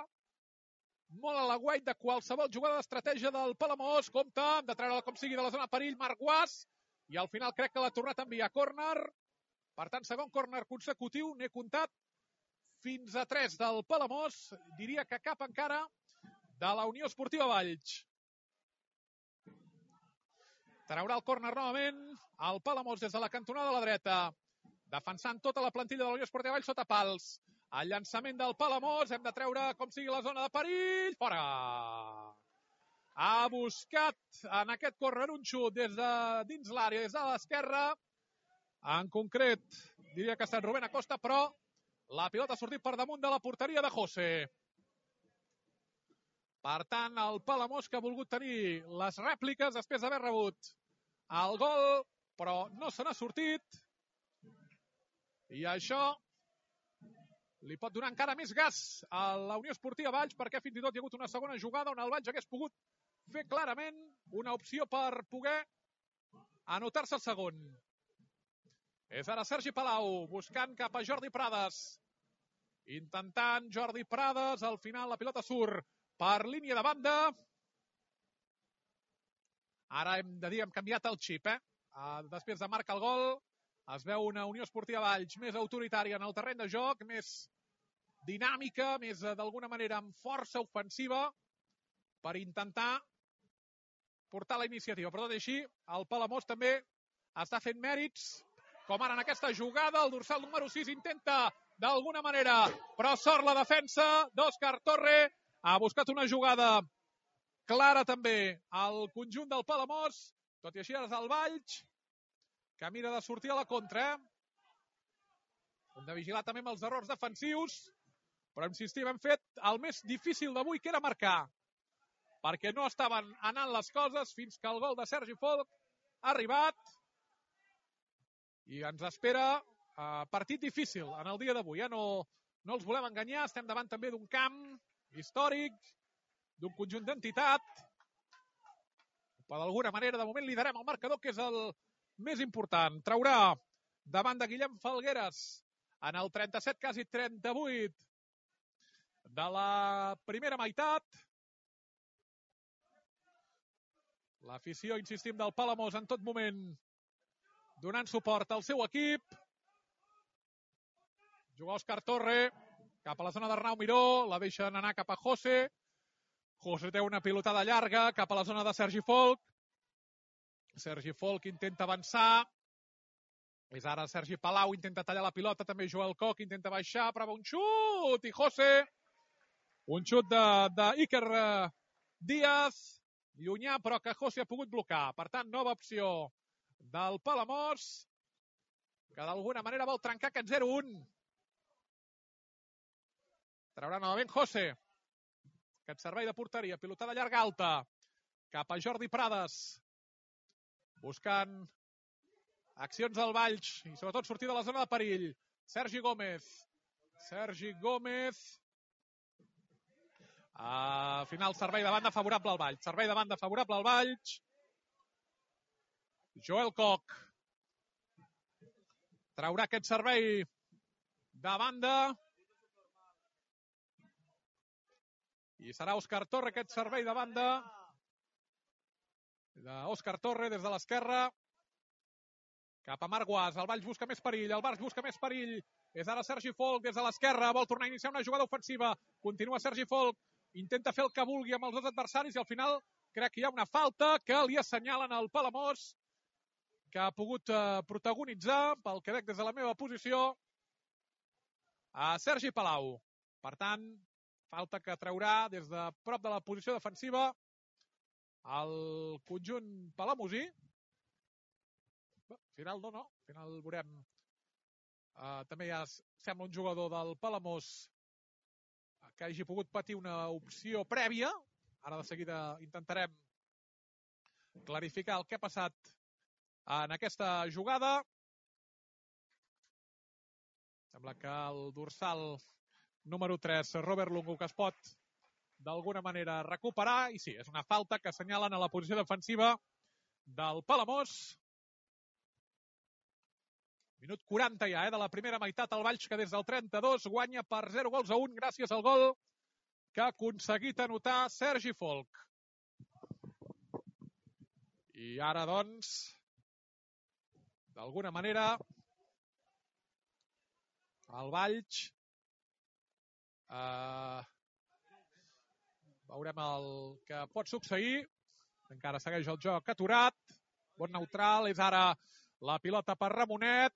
molt a l'aguait de qualsevol jugada d'estratègia del Palamós. Compte, hem de treure-la com sigui de la zona de perill, Marc Guas, i al final crec que l'ha tornat a enviar a córner. Per tant, segon córner consecutiu, n'he comptat fins a 3 del Palamós. Diria que cap encara de la Unió Esportiva Valls. Traurà el córner novament el Palamós des de la cantonada de la dreta, defensant tota la plantilla de la Unió Esportiva Valls sota pals. El llançament del Palamós, hem de treure com sigui la zona de perill. Fora! Ha buscat en aquest córner un xut des de dins l'àrea, des de l'esquerra. En concret, diria que ha estat Rubén Acosta, però la pilota ha sortit per damunt de la porteria de José. Per tant, el Palamós, que ha volgut tenir les rèpliques després d'haver rebut el gol, però no se n'ha sortit. I això li pot donar encara més gas a la Unió Esportiva Valls, perquè fins i tot hi ha hagut una segona jugada on el Valls hagués pogut fer clarament una opció per poder anotar-se el segon. És ara Sergi Palau, buscant cap a Jordi Prades. Intentant Jordi Prades, al final la pilota surt per línia de banda. Ara hem de dir, hem canviat el xip, Després de marcar el gol, es veu una Unió Esportiva Valls més autoritària en el terreny de joc, més dinàmica, més d'alguna manera amb força ofensiva per intentar portar la iniciativa. Però tot i així, el Palamós també està fent mèrits, com ara en aquesta jugada. El dorsal número 6 intenta d'alguna manera, però sort la defensa d'Òscar Torre. Ha buscat una jugada clara també al conjunt del Palamós. Tot i així, ara és el Valls, que mira de sortir a la contra. Hem de vigilar també amb els errors defensius, però insistim, hem fet el més difícil d'avui, que era marcar, perquè no estaven anant les coses fins que el gol de Sergi Folch ha arribat i ens espera partit difícil en el dia d'avui. No els volem enganyar, estem davant també d'un camp històric, d'un conjunt d'entitat, però d'alguna manera de moment liderem el marcador, que és el més important. Traurà davant de Guillem Falgueres en el 37, quasi 38 de la primera meitat. L'afició, insistim, del Palamós en tot moment donant suport al seu equip. Juga Òscar Torre cap a la zona d'Arnau Miró, la deixen anar cap a José. José té una pilotada llarga cap a la zona de Sergi Folch. Sergi Folch intenta avançar. És ara Sergi Palau, intenta tallar la pilota, també Joel Koch intenta baixar, prova un xut, i José, un xut d'Iker Díaz, llunyà, però que José ha pogut blocar. Per tant, nova opció del Palamós, que d'alguna manera vol trencar aquest 0-1. Traurà novament José. Aquest servei de porteria, pilotada llarga alta, cap a Jordi Prades, buscant accions del Valls i sobretot sortir de la zona de perill. Sergi Gómez. A final, servei de banda favorable al Valls. Joel Koch traurà aquest servei de banda. I serà Òscar Torre aquest servei de banda. Òscar Torre des de l'esquerra. Cap a Marc Guas, el Valls busca més perill, és ara Sergi Folch des de l'esquerra, vol tornar a iniciar una jugada ofensiva, continua Sergi Folch, intenta fer el que vulgui amb els dos adversaris i al final crec que hi ha una falta que li assenyalen al Palamós, que ha pogut protagonitzar, pel que veig des de la meva posició, a Sergi Palau. Per tant, falta que traurà des de prop de la posició defensiva el conjunt palamosí. Al final veurem. També ja sembla un jugador del Palamós que hagi pogut patir una opció prèvia. Ara de seguida intentarem clarificar el que ha passat en aquesta jugada. Sembla que el dorsal número 3, Robert Lungu, que es pot d'alguna manera recuperar. I sí, és una falta que assenyalen a la posició defensiva del Palamós. Minut 40 ja, de la primera meitat. El Valls, que des del 32 guanya per 0-1 gràcies al gol que ha aconseguit anotar Sergi Folch. I ara, doncs, d'alguna manera, el Valls veurem el que pot succeir. Encara segueix el joc aturat. Bon neutral, és ara la pilota per Ramonet.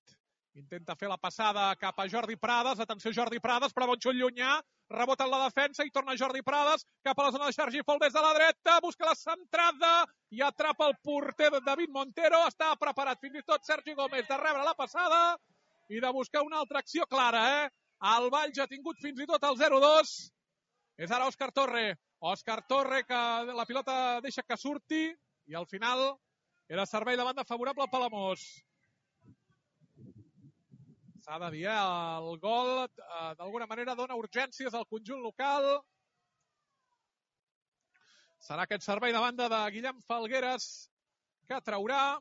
Intenta fer la passada cap a Jordi Prades. Atenció, Jordi Prades, però bon xut llunyà. Rebota en la defensa i torna Jordi Prades cap a la zona de Sergi Folch des de la dreta. Busca la centrada i atrapa el porter de David Montero. Està preparat fins i tot Sergi Gómez de rebre la passada i de buscar una altra acció clara. El Valls ha tingut fins i tot el 0-2. És ara Òscar Torre. Òscar Torre, que la pilota deixa que surti i al final era servei de banda favorable al Palamós. S'ha de dir, el gol d'alguna manera dona urgències al conjunt local. Serà aquest servei de banda de Guillem Falgueres que traurà.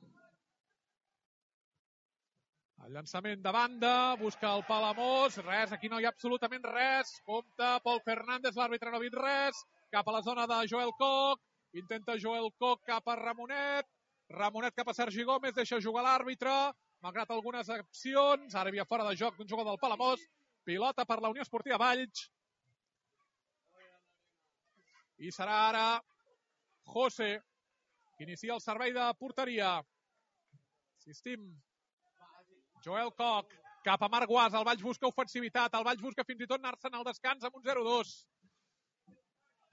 El llançament de banda, busca el Palamós, res, aquí no hi ha absolutament res. Compte, Pol Fernández, l'àrbitre no ha vist res. Cap a la zona de Joel Koch, intenta Joel Koch cap a Ramonet. Ramonet cap a Sergi Gómez, deixa jugar l'àrbitre, malgrat algunes accions. Ara hi havia fora de joc d'un jugador del Palamós. Pilota per la Unió Esportiva Valls. I serà ara José, que inicia el servei de porteria. Insistim. Joel Koch cap a Marc Guas. El Valls busca ofensivitat. El Valls busca fins i tot anar-se'n al descans amb un 0-2.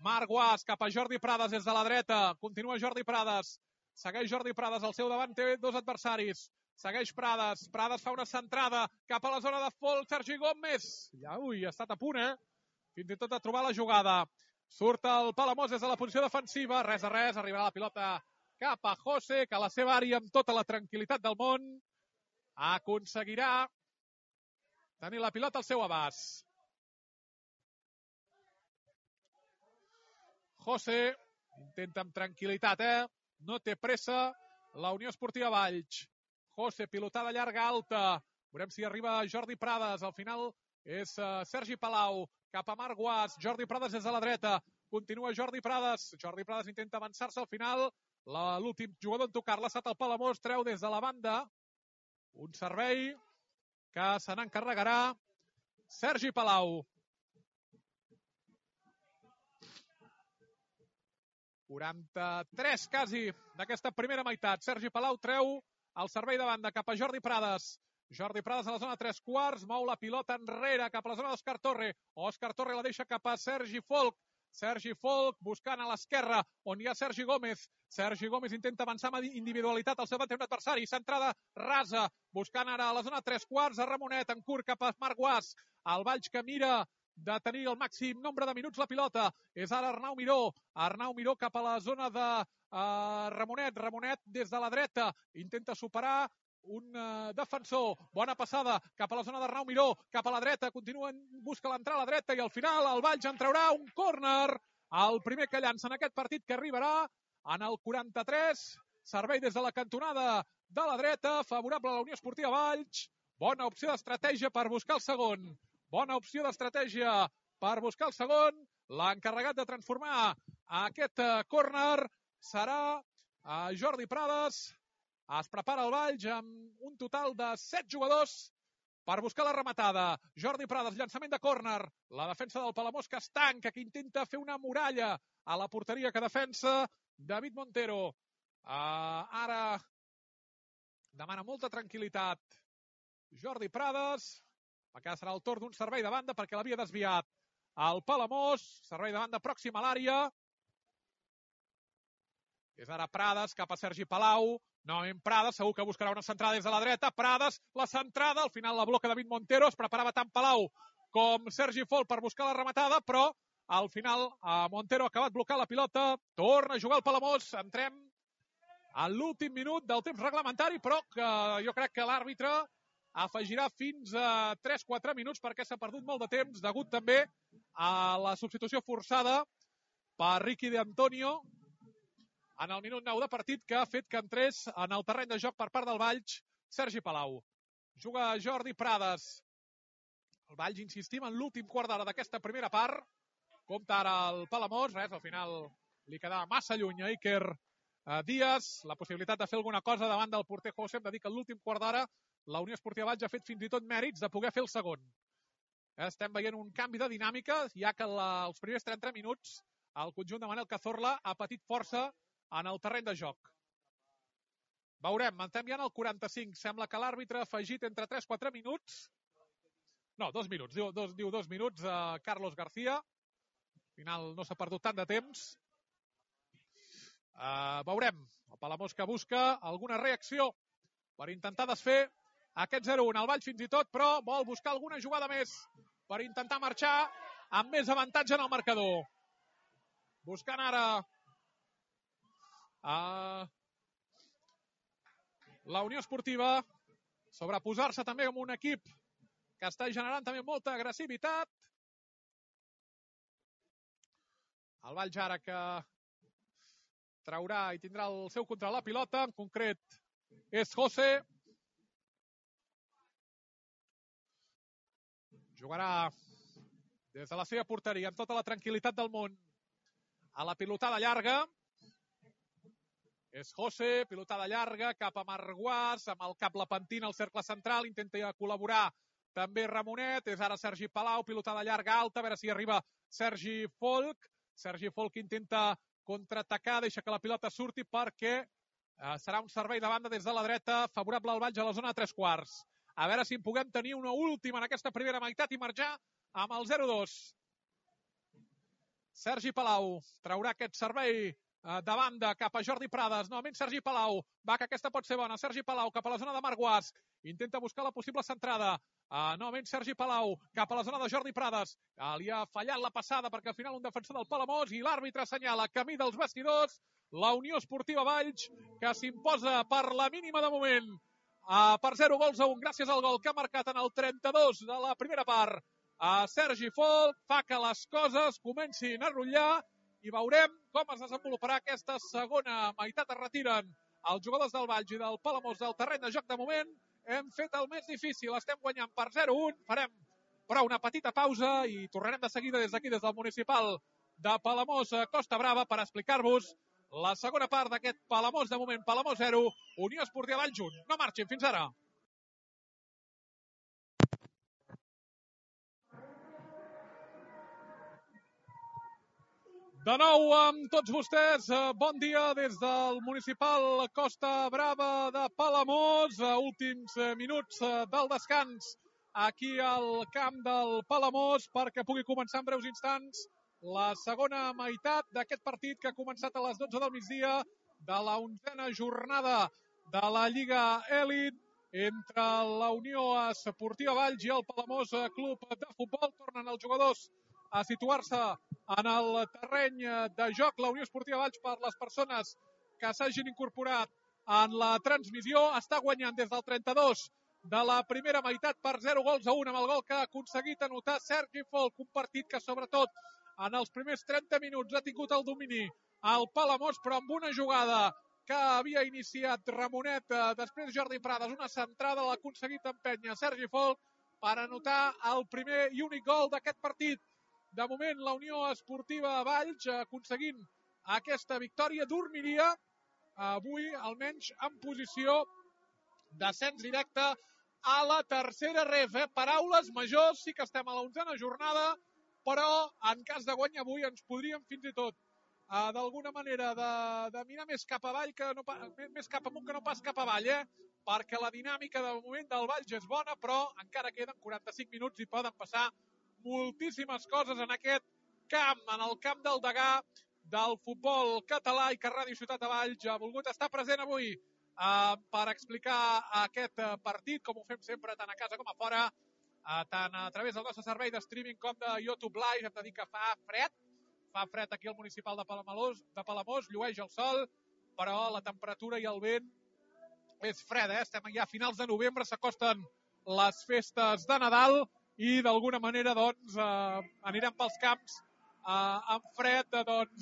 Marc Guas cap a Jordi Prades des de la dreta. Continua Jordi Prades. Segueix Jordi Prades al seu davant, té dos adversaris. Segueix Prades. Prades fa una centrada cap a la zona de Folk. Sergi Gómez. Ui, ha estat a punt, fins i tot de trobar la jugada. Surt el Palamós des de la posició defensiva. Res a res. Arribarà la pilota cap a José, que a la seva àrea, amb tota la tranquil·litat del món, aconseguirà tenir la pilota al seu abast. José intenta amb tranquil·litat, no té pressa la Unió Esportiva Valls. José, pilotada llarga alta. Veurem si arriba Jordi Prades. Al final és Sergi Palau cap a Marc Guas. Jordi Prades des de la dreta. Continua Jordi Prades. Jordi Prades intenta avançar-se al final. L'últim jugador en tocar-la ha estat el Palamós. Treu des de la banda un servei que se n'encarregarà Sergi Palau. 43 quasi d'aquesta primera meitat. Sergi Palau treu el servei de banda cap a Jordi Prades. Jordi Prades a la zona 3/4, mou la pilota enrere cap a la zona d'Òscar Torre. Òscar Torre la deixa cap a Sergi Folk. Sergi Folk buscant a l'esquerra, on hi ha Sergi Gómez. Sergi Gómez intenta avançar amb individualitat al seu adversari. Centrada rasa, buscant ara a la zona 3/4, a Ramonet, en curt cap a Marc Guas. El Valls que mira de tenir el màxim nombre de minuts la pilota. És ara Arnau Miró. Arnau Miró cap a la zona de Ramonet. Ramonet des de la dreta. Intenta superar un defensor. Bona passada cap a la zona d'Arnau Miró. Cap a la dreta. Continua, busca l'entrada a la dreta i al final el Valls en traurà un córner. El primer que llança en aquest partit, que arribarà en el 43. Servei des de la cantonada de la dreta. Favorable a la Unió Esportiva Valls. Bona opció d'estratègia per buscar el segon. Bona opció d'estratègia per buscar el segon. L'encarregat de transformar aquest córner serà Jordi Prades. Es prepara el Valls amb un total de 7 jugadors per buscar la rematada. Jordi Prades, llançament de córner. La defensa del Palamós que es tanca, que intenta fer una muralla a la porteria que defensa David Montero. Ara demana molta tranquil·litat Jordi Prades. Acá serà el torn d'un servei de banda perquè l'havia desviat el Palamós. Servei de banda pròxim a l'àrea. És ara Prades cap a Sergi Palau. Novament Prades, segur que buscarà una centrada des de la dreta. Prades, la centrada. Al final la bloca David Montero. Es preparava tant Palau com Sergi Folk per buscar la rematada, però al final Montero ha acabat blocant la pilota. Torna a jugar el Palamós. Entrem a l'últim minut del temps reglamentari, però que jo crec que l'àrbitre afegirà fins a 3-4 minuts perquè s'ha perdut molt de temps, degut també a la substitució forçada per Ricky De Antonio en el minut 9 de partit, que ha fet que entrés en el terreny de joc per part del Valls Sergi Palau. Juga Jordi Prades. El Valls, insistim, en l'últim quart d'hora d'aquesta primera part. Compta ara el Palamós. Res, al final li quedava massa lluny a Iker Díaz. La possibilitat de fer alguna cosa davant del porter José. Hem de dir que en l'últim quart d'hora la Unió Esportiva Valls ha fet fins i tot mèrits de poder fer el segon. Estem veient un canvi de dinàmica, ja que els primers 30 minuts el conjunt de Manel Cazorla ha patit força en el terreny de joc. Veurem, estem ja en el 45. Sembla que l'àrbitre ha afegit entre 3-4 minuts. No, 2 minuts. Diu 2 minuts a Carlos García. Al final no s'ha perdut tant de temps. Veurem. El Palamós que busca alguna reacció per intentar desfer aquest 0-1. El Valls fins i tot, però vol buscar alguna jugada més per intentar marxar amb més avantatge en el marcador. Buscant ara la Unió Esportiva sobreposar-se també amb un equip que està generant també molta agressivitat. El Valls ara que traurà i tindrà el seu control la pilota, en concret és José. Jugarà des de la seva porteria amb tota la tranquil·litat del món a la pilotada llarga. És José, pilotada llarga cap a Marc Guas, amb el cap la pentina al cercle central, intenta col·laborar també Ramonet. És ara Sergi Palau, pilotada llarga alta, a veure si arriba Sergi Folk. Sergi Folk intenta contraatacar, deixa que la pilota surti perquè serà un servei de banda des de la dreta favorable al Valls a la zona 3/4. A veure si en puguem tenir una última en aquesta primera meitat i marxar amb el 0-2. Sergi Palau traurà aquest servei de banda cap a Jordi Prades, novament Sergi Palau, va que aquesta pot ser bona, Sergi Palau cap a la zona de Marc Guas, intenta buscar la possible centrada, novament Sergi Palau cap a la zona de Jordi Prades, li ha fallat la passada perquè al final un defensor del Palamós i l'àrbitre assenyala camí dels vestidors, la Unió Esportiva Valls que s'imposa per la mínima de moment per 0-1 gràcies al gol que ha marcat en el 32 de la primera part Sergi Folk, fa que les coses comencin a rotllar i veurem com es desenvoluparà aquesta segona meitat. Es retiren els jugadors del Valls i del Palamós del terreny de joc. De moment hem fet el més difícil, estem guanyant per 0-1, farem però una petita pausa i tornarem de seguida des d'aquí, des del municipal de Palamós Costa Brava, per explicar-vos la segona part d'aquest Palamós. De moment, Palamós 0, Unió Esportiva Valls 1. No marxin, fins ara. De nou amb tots vostès, bon dia des del municipal Costa Brava de Palamós, últims minuts del descans aquí al camp del Palamós perquè pugui començar en breus instants la segona meitat d'aquest partit que ha començat a les 12 del migdia de la 11a jornada de la Lliga Elit entre la Unió Esportiva Valls i el Palamós Club de Futbol. Tornen els jugadors a situar-se en el terreny de joc. La Unió Esportiva Valls, per les persones que s'hagin incorporat en la transmissió, està guanyant des del 32 de la primera meitat per 0-1 amb el gol que ha aconseguit anotar Sergi Folk. Un partit que sobretot en els primers 30 minuts ha tingut el domini al Palamós, però amb una jugada que havia iniciat Ramonet, després Jordi Prades, una centrada, l'ha aconseguit empènyer Sergi Folk per anotar el primer i únic gol d'aquest partit. De moment, la Unió Esportiva Valls aconseguint aquesta victòria dormiria avui, almenys en posició d'ascens directe a la tercera ref. Paraules majors, sí que estem a la 11a jornada, però en cas de guany avui ens podríem fins i tot d'alguna manera de mirar més cap avall que no, més cap amunt que no pas cap avall, perquè la dinàmica de moment del Valls és bona, però encara queden 45 minuts i poden passar moltíssimes coses en aquest camp, en el camp del Degà del futbol català, i que Ràdio Ciutat de Valls ha volgut estar present avui per explicar aquest partit, com ho fem sempre tant a casa com a fora, tant a través del nostre servei de streaming com de YouTube Live. Hem de dir que fa fred aquí al municipal de Palamós, llueix el sol, però la temperatura i el vent és fred, estem ja a finals de novembre, s'acosten les festes de Nadal i d'alguna manera doncs anirem pels camps amb fred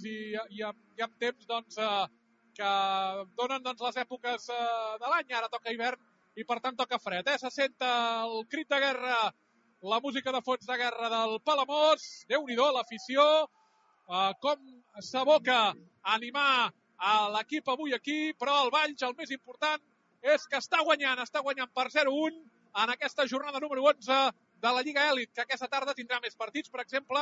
i amb temps que donen les èpoques de l'any. Ara toca hivern i per tant toca fred. Se sent el crit de guerra, la música de fons de guerra del Palamós. Déu-n'hi-do, l'afició, com s'aboca a animar a l'equip avui aquí, però el Valls, el més important, és que està guanyant per 0-1 en aquesta jornada número 11 de la Lliga Elit, que aquesta tarda tindrà més partits. Per exemple,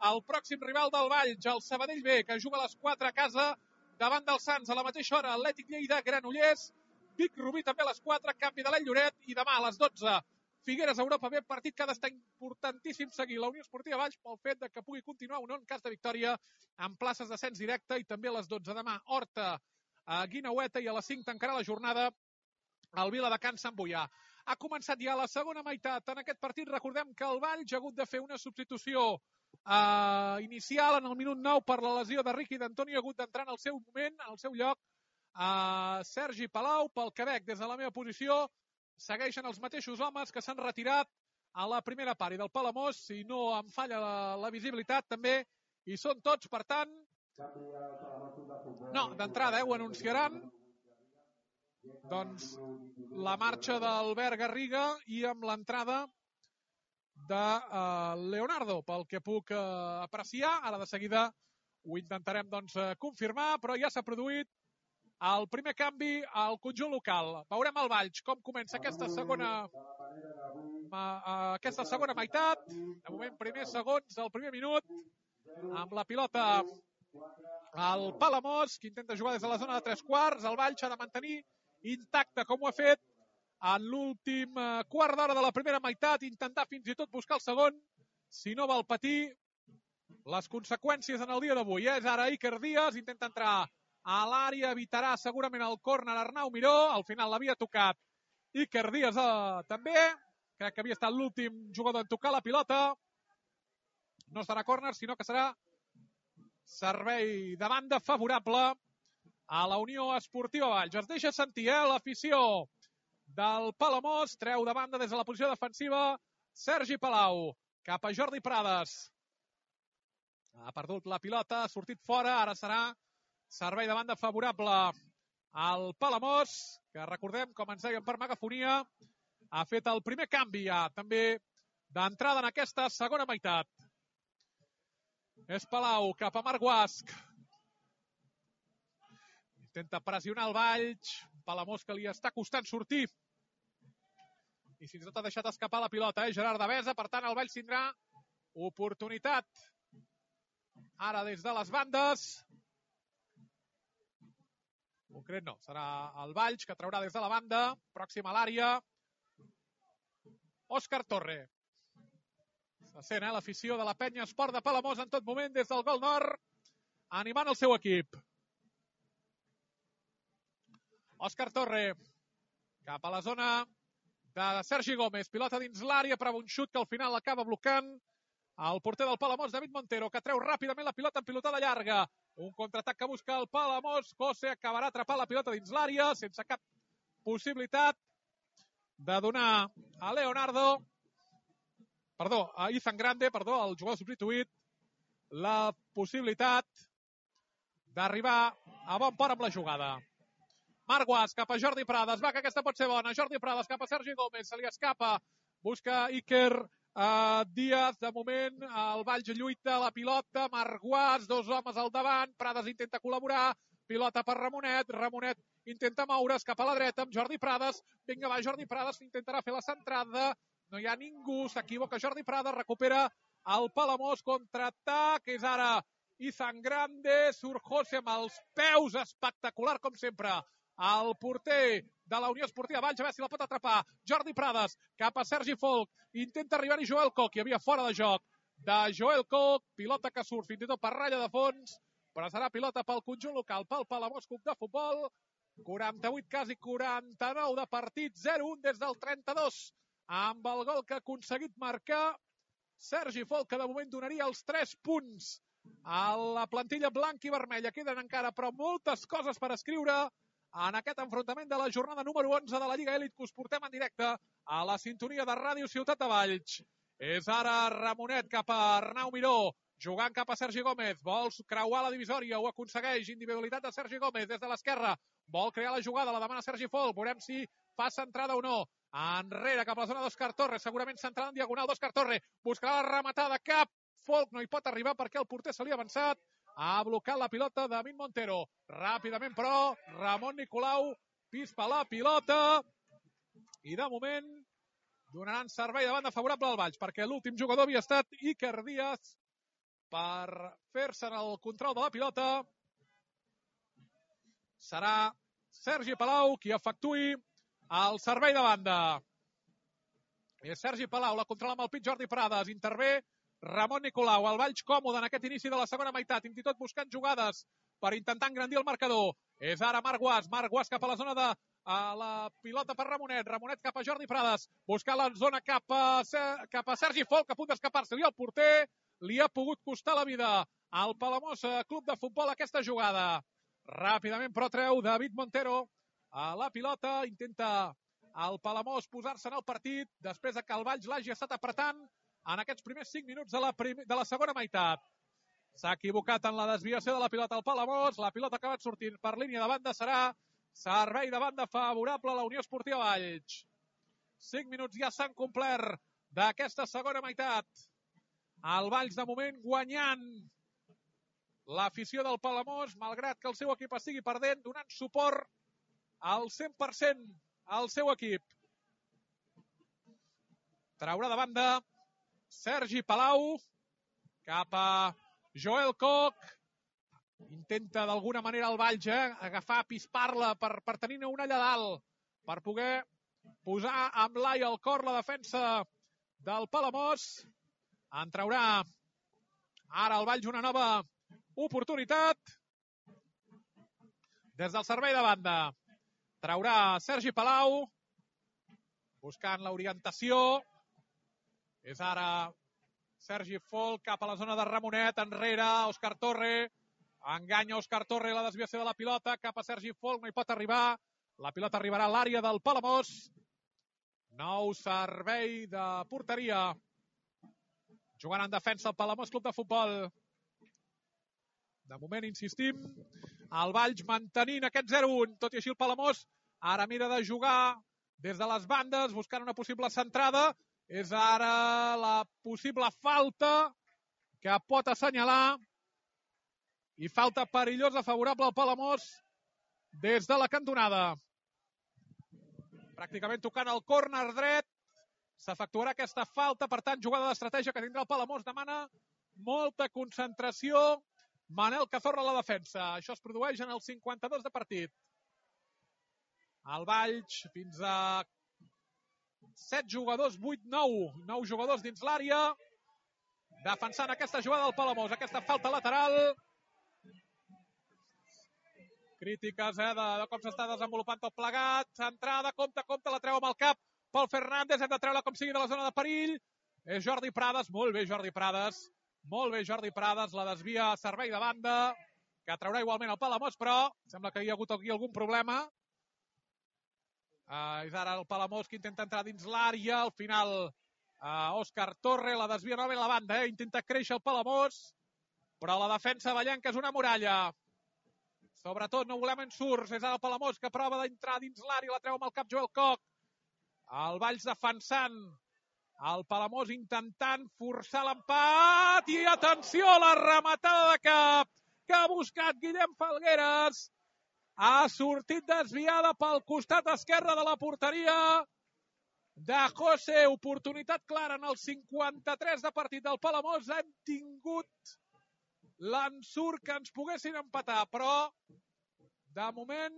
el pròxim rival del Valls, el Sabadell B, que juga a les 4 a casa davant del Sants. A la mateixa hora, Atlètic Lleida, Granollers, Vic Rubí també a les 4, Canvi de l'Any Lloret, i demà a les 12, Figueres Europa B, partit que ha d'estar importantíssim seguir la Unió Esportiva Valls pel fet de que pugui continuar o no en cas de victòria amb places d'ascens directe. I també a les 12 demà, Horta, Guineueta, i a les 5 tancarà la jornada el Viladecans Sant Boià. Ha començat ja la segona meitat en aquest partit. Recordem que el Valls ha hagut de fer una substitució inicial en el minut 9 per la lesió de Riqui d'Antonio. Ha hagut d'entrar en el seu moment, en el seu lloc, Sergi Palau. Pel Quebec, des de la meva posició, segueixen els mateixos homes que s'han retirat a la primera part. I del Palamós, si no em falla la visibilitat, també hi són tots. Per tant, no, d'entrada ho anunciaran, doncs la marxa d'Albert Garriga i amb l'entrada de Leonardo, pel que puc apreciar. Ara de seguida ho intentarem confirmar, però ja s'ha produït el primer canvi al conjunt local. Veurem el Valls com comença aquesta segona meitat. De moment, primers segons del primer minut, amb la pilota al Palamós, que intenta jugar des de la zona de 3/4. El Valls ha de mantenir intacte, com ho ha fet en l'últim quart d'hora de la primera meitat, intentar fins i tot buscar el segon, si no vol patir les conseqüències en el dia d'avui. És ara Iker Díaz, intenta entrar a l'àrea, evitarà segurament el córner Arnau Miró, al final l'havia tocat Iker Díaz també, crec que havia estat l'últim jugador en tocar la pilota, no serà córner, sinó que serà servei de banda favorable a la Unió Esportiva Valls. Es deixa sentir l'afició del Palamós, treu de banda des de la posició defensiva Sergi Palau, cap a Jordi Prades. Ha perdut la pilota, ha sortit fora, ara serà servei de banda favorable al Palamós, que recordem, com ens deien per megafonia, ha fet el primer canvi ja, també d'entrada en aquesta segona meitat. És Palau cap a Marc Guasch. Intenta pressionar el Valls, Palamós que li està costant sortir. I fins i tot ha deixat escapar la pilota, Gerard Devesa, per tant el Valls tindrà oportunitat. Ara des de les bandes. Concret no, serà el Valls que traurà des de la banda, pròxim a l'àrea. Òscar Torre. Se sent l'afició de la penya Esport de Palamós en tot moment des del gol nord, animant el seu equip. Òscar Torre cap a la zona de Sergi Gómez, pilota dins l'àrea per un xut que al final acaba blocant el porter del Palamós, David Montero, que treu ràpidament la pilota en pilotada llarga. Un contraatac que busca el Palamós, José acabarà atrapant la pilota dins l'àrea sense cap possibilitat de donar a Izan Grande, el jugador substituït, la possibilitat d'arribar a bon port amb la jugada. Marc Guasch cap a Jordi Prades, va que aquesta pot ser bona, Jordi Prades cap a Sergi Gómez, se li escapa, busca Iker Díaz, de moment el Valls lluita la pilota, Marc Guasch, dos homes al davant, Prades intenta col·laborar, pilota per Ramonet, Ramonet intenta moure's cap a la dreta amb Jordi Prades, vinga va Jordi Prades, intentarà fer la centrada, no hi ha ningú, s'equivoca Jordi Prades, recupera el Palamós, contraatac, és ara Izan Grande, surt José amb els peus, espectacular com sempre, el porter de la Unió Esportiva Valls, a veure si la pot atrapar, Jordi Prades, cap a Sergi Folk, intenta arribar-hi Joel Koch, hi havia fora de joc de Joel Koch, pilota que surt fins i tot per ratlla de fons, però serà pilota pel conjunt local, pel Palamós Club de Futbol, 48, quasi 49 de partit, 0-1 des del 32, amb el gol que ha aconseguit marcar Sergi Folk, que de moment donaria els 3 punts a la plantilla blanca i vermella. Queden encara, però, moltes coses per escriure en aquest enfrontament de la jornada número 11 de la Lliga Elit, que us portem en directe a la sintonia de Ràdio Ciutat de Valls. És ara Ramonet cap a Arnau Miró, jugant cap a Sergi Gómez, vol creuar la divisòria, ho aconsegueix, individualitat de Sergi Gómez des de l'esquerra, vol crear la jugada, la demana Sergi Folk, veurem si fa centrada o no, enrere cap a la zona d'Òscar Torre, segurament centrada en diagonal d'Òscar Torre, buscarà la rematada, cap, Folk no hi pot arribar perquè el porter se li ha avançat, ha blocat la pilota David Montero, ràpidament però Ramon Nicolau pispa la pilota i de moment donaran servei de banda favorable al Valls, perquè l'últim jugador havia estat Iker Díaz per fer-se en el control de la pilota. Serà Sergi Palau qui efectuï el servei de banda. És Sergi Palau, la controla amb el pit Jordi Prades, intervé Ramon Nicolau, el Valls còmode en aquest inici de la segona meitat, fins i tot buscant jugades per intentar engrandir el marcador. És ara Marc Guasch cap a la zona de la pilota per Ramonet, Ramonet cap a Jordi Prades, buscar la zona cap a Sergi Folk, a punt d'escapar-se-li el porter, li ha pogut costar la vida al Palamós Club de Futbol aquesta jugada. Ràpidament però treu David Montero a la pilota, intenta el Palamós posar-se en el partit després que el Valls l'hagi estat apretant en aquests primers 5 minuts de la segona meitat. S'ha equivocat en la desviació de la pilota al Palamós, la pilota ha acabat sortint per línia de banda, serà servei de banda favorable a la Unió Esportiva Valls. 5 minuts ja s'han complert d'aquesta segona meitat. El Valls de moment guanyant l'afició del Palamós, malgrat que el seu equip estigui perdent, donant suport al 100% al seu equip. Traurà de banda Sergi Palau cap a Joel Koch. Intenta d'alguna manera el Valls agafar, pispar-la per tenir una allà dalt, per poder posar amb l'ai al cor la defensa del Palamós. En traurà ara el Valls una nova oportunitat. Des del servei de banda traurà Sergi Palau, buscant l'orientació. És ara Sergi Folk cap a la zona de Ramonet, enrere Òscar Torre, enganya Òscar Torre, la desviació de la pilota cap a Sergi Folk, no hi pot arribar, la pilota arribarà a l'àrea del Palamós. Nou servei de porteria, jugant en defensa el Palamós Club de Futbol. De moment, insistim, el Valls mantenint aquest 0-1, tot i així el Palamós ara mira de jugar des de les bandes, buscant una possible centrada. És ara la possible falta que pot assenyalar, i falta perillosa favorable al Palamós des de la cantonada. Pràcticament tocant el córner dret, s'efectuarà aquesta falta, per tant, jugada d'estratègia que tindrà el Palamós. Demana molta concentració Manel Cazorla a la defensa. Això es produeix en el 52 de partit. El Valls fins a 7 jugadors, 8, 9 jugadors dins l'àrea, defensant aquesta jugada del Palamós, aquesta falta lateral. Crítiques de com s'està desenvolupant tot plegat. Centrada, compte, la treu amb el cap Pol Fernández, hem de treure com sigui de la zona de perill. És Jordi Prades, molt bé Jordi Prades, la desvia a servei de banda, que traurà igualment el Palamós, però sembla que hi ha hagut aquí algun problema. És ara el Palamós que intenta entrar dins l'àrea, al final Òscar Torre, la desvia novament a la banda, intenta créixer el Palamós, però la defensa vallenca és una muralla. Sobretot no volem ensurts, és ara el Palamós que prova d'entrar dins l'àrea, la treu amb el cap Joel Koch. El Valls defensant, el Palamós intentant forçar l'empat, i atenció a la rematada de cap que ha buscat Guillem Falgueres. Ha sortit desviada pel costat esquerre de la porteria de José. Oportunitat clara en el 53 de partit del Palamós. Hem tingut l'ensurt que ens poguessin empatar, però de moment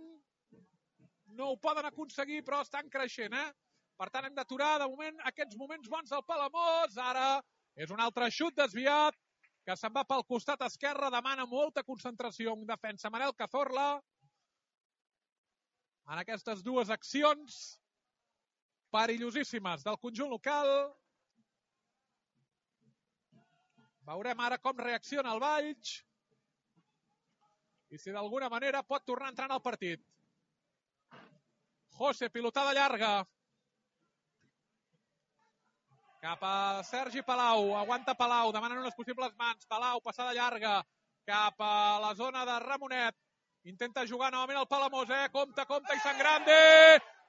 no ho poden aconseguir, però estan creixent, Per tant, hem d'aturar de moment aquests moments bons del Palamós. Ara és un altre xut desviat que se'n va pel costat esquerre, demana molta concentració en defensa Manel Cazorla en aquestes dues accions perillosíssimes del conjunt local. Veurem ara com reacciona el Valls i si d'alguna manera pot tornar a entrar en el partit. José, pilotada llarga cap a Sergi Palau, aguanta Palau, demanen unes possibles mans, Palau, passada llarga cap a la zona de Ramonet, intenta jugar novament el Palamós, compte, i Sangrande,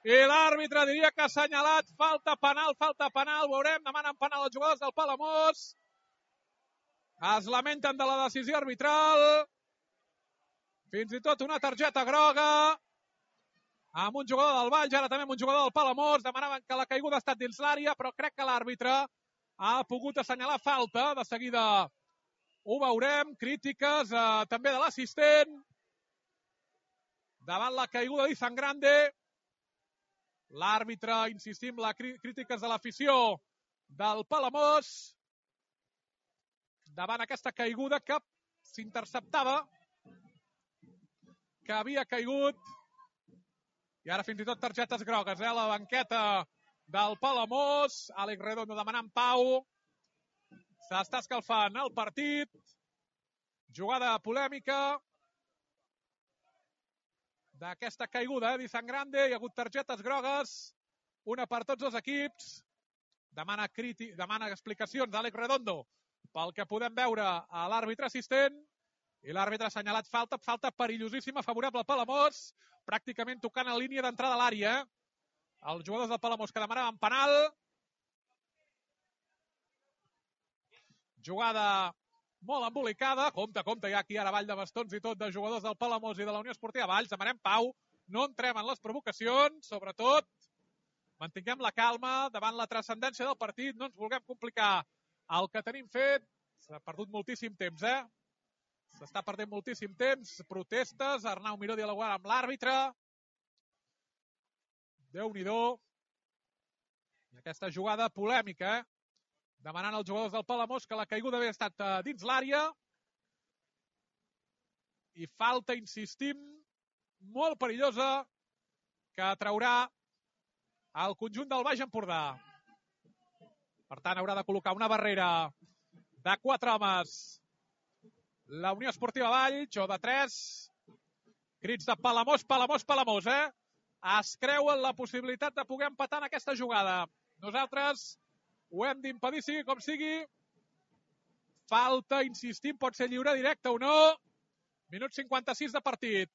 i l'àrbitre diria que ha assenyalat, falta penal, veurem, demanen penal els jugadors del Palamós, es lamenten de la decisió arbitral, fins i tot una targeta groga, amb un jugador del Valls, ara també amb un jugador del Palamós, demanaven que la caiguda ha estat dins l'àrea, però crec que l'àrbitre ha pogut assenyalar falta, de seguida ho veurem, crítiques també de l'assistent, davant la caiguda d'Izan Grande, l'àrbitre, insistim, les crítiques de l'afició del Palamós, davant aquesta caiguda que s'interceptava, que havia caigut, i ara fins i tot targetes grogues, la banqueta del Palamós, Àlex Redondo demanant pau, s'està escalfant el partit, jugada polèmica d'aquesta caiguda d'Izan Grande, hi ha hagut targetes grogues, una per tots els equips, demana explicacions d'Àlex Redondo pel que podem veure a l'àrbitre assistent, i l'àrbitre ha assenyalat falta perillosíssima, favorable al Palamós, pràcticament tocant a línia d'entrada a l'àrea. Els jugadors del Palamós que demanaven penal. Jugada molt embolicada. Compte, hi ha aquí ara ball de bastons i tot de jugadors del Palamós i de la Unió Esportiva Valls. Demanem pau, no entrem en les provocacions, sobretot mantinguem la calma davant la transcendència del partit, no ens vulguem complicar el que tenim fet. S'ha perdut moltíssim temps, S'està perdent moltíssim temps, protestes, Arnau Miró dialogant amb l'àrbitre. Déu-n'hi-do. Aquesta jugada polèmica, demanant als jugadors del Palamós que la caiguda havia estat dins l'àrea. I falta, insistim, molt perillosa que traurà el conjunt del Baix Empordà. Per tant, haurà de col·locar una barrera de 4 homes la Unió Esportiva Valls, o de 3. Crits de Palamós, Palamós, Palamós, Es creuen la possibilitat de poder empatar en aquesta jugada. Nosaltres ho hem d'impedir, sigui com sigui. Falta, insistim, pot ser lliure directe o no. Minut 56 de partit.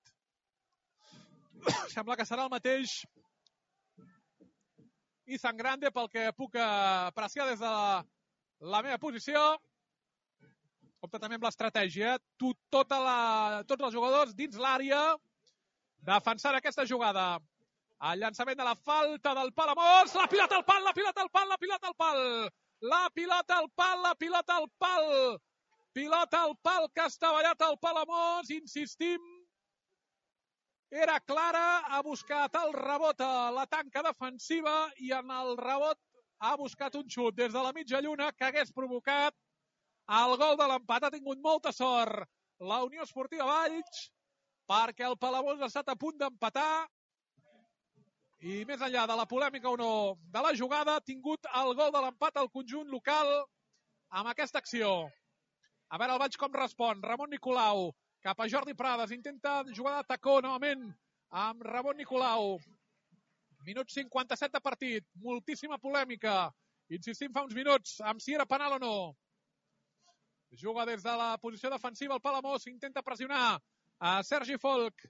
Sembla que serà el mateix Izan Grande, pel que puc apreciar des de la meva posició. Compte també amb l'estratègia. Tots els jugadors dins l'àrea defensant aquesta jugada. El llançament de la falta del Palamós. La pilota al pal, la pilota al pal, la pilota al pal. La pilota al pal, la pilota al pal. Pilota al pal que ha estavellat el Palamós. Insistim. Era clara, ha buscat el rebot a la tanca defensiva i en el rebot ha buscat un xut des de la mitja lluna que hagués provocat el gol de l'empat. Ha tingut molta sort la Unió Esportiva Valls perquè el Palamós ha estat a punt d'empatar i més enllà de la polèmica o no de la jugada, ha tingut el gol de l'empat al conjunt local amb aquesta acció. A veure el Valls com respon. Ramon Nicolau cap a Jordi Prades, intenta jugar de tacó novament amb Ramon Nicolau. Minut 57 de partit, moltíssima polèmica. Insistim fa uns minuts amb si era penal o no. Juga des de la posició defensiva el Palamós, intenta pressionar a Sergi Folk.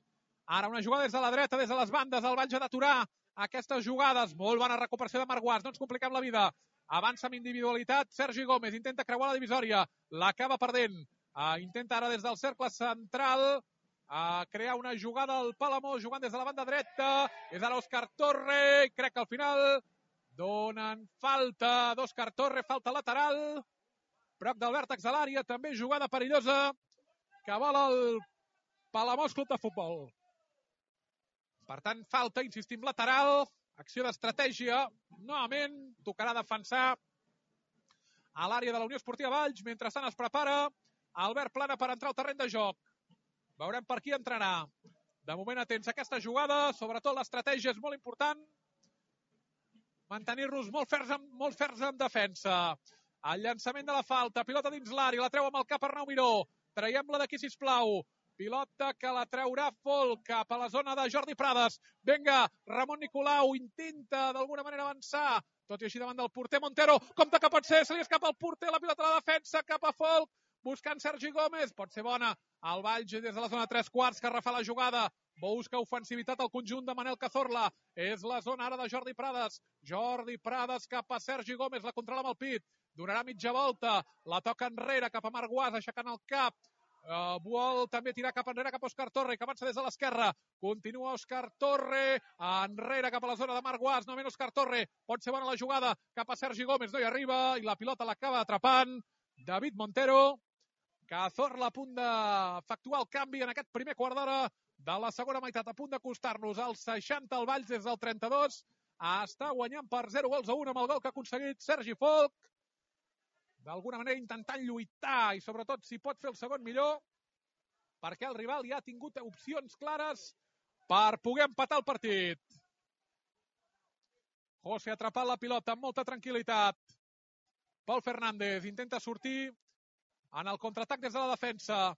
Ara una jugada des de la dreta, des de les bandes, el Valls ha d'aturar aquestes jugades. Molt bona recuperació de Marc Guas, no ens compliquem la vida. Avança amb individualitat, Sergi Gómez intenta creuar la divisòria, l'acaba perdent. Intenta ara des del cercle central crear una jugada al Palamós, jugant des de la banda dreta. És ara Òscar Torre, i crec que al final donen falta d'Òscar Torre, falta lateral. Prop del vèrtex de l'àrea, també jugada perillosa que vol el Palamós Club de Futbol. Per tant, falta, insistim, lateral, acció d'estratègia. Novament tocarà defensar a l'àrea de la Unió Esportiva Valls. Mentrestant es prepara Albert Plana per entrar al terreny de joc. Veurem per qui entrarà. De moment atents a aquesta jugada, sobretot l'estratègia és molt important. Mantenir-nos molt ferms en defensa. El llançament de la falta, pilota dins l'àrea, la treu amb el cap Arnau Miró. Traiem-la d'aquí, sisplau. Pilota que la traurà Folk cap a la zona de Jordi Prades. Vinga, Ramon Nicolau intenta d'alguna manera avançar, tot i així davant del porter Montero. Compte que pot ser, se li escapa el porter, la pilota a la defensa, cap a Folk, buscant Sergi Gómez. Pot ser bona. El Valls des de la zona 3/4 que refà la jugada. Busca ofensivitat al conjunt de Manel Cazorla. És la zona ara de Jordi Prades. Jordi Prades cap a Sergi Gómez, la controla amb el pit. Donarà mitja volta, la toca enrere cap a Marc Guas, aixecant el cap. Vol també tirar cap enrere cap a Òscar Torre, que avança des de l'esquerra. Continua Òscar Torre, enrere cap a la zona de Marc Guas, novament Òscar Torre. Pot ser bona la jugada cap a Sergi Gómez, no hi arriba, i la pilota l'acaba atrapant David Montero. Cazorla a punt d'efectuar el canvi en aquest primer quart d'hora de la segona meitat, a punt d'acostar-nos als 60 al Valls des del 32. Està guanyant per 0-1 amb el gol que ha aconseguit Sergi Folk. D'alguna manera intentant lluitar i sobretot si pot fer el segon millor, perquè el rival ja ha tingut opcions clares per poder empatar el partit. José ha atrapat la pilota amb molta tranquil·litat. Pol Fernández intenta sortir en el contraatac des de la defensa.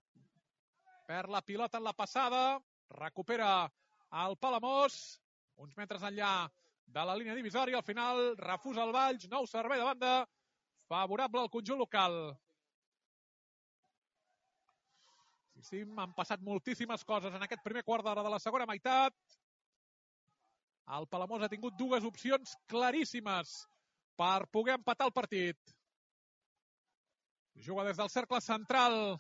Perd la pilota en la passada, recupera el Palamós, uns metres enllà de la línia divisòria. Al final refusa el Valls, nou servei de banda, favorable al conjunt local. Sí, han passat moltíssimes coses en aquest primer quart d'hora de la segona meitat. El Palamós ha tingut dues opcions claríssimes per poder empatar el partit. Juga des del cercle central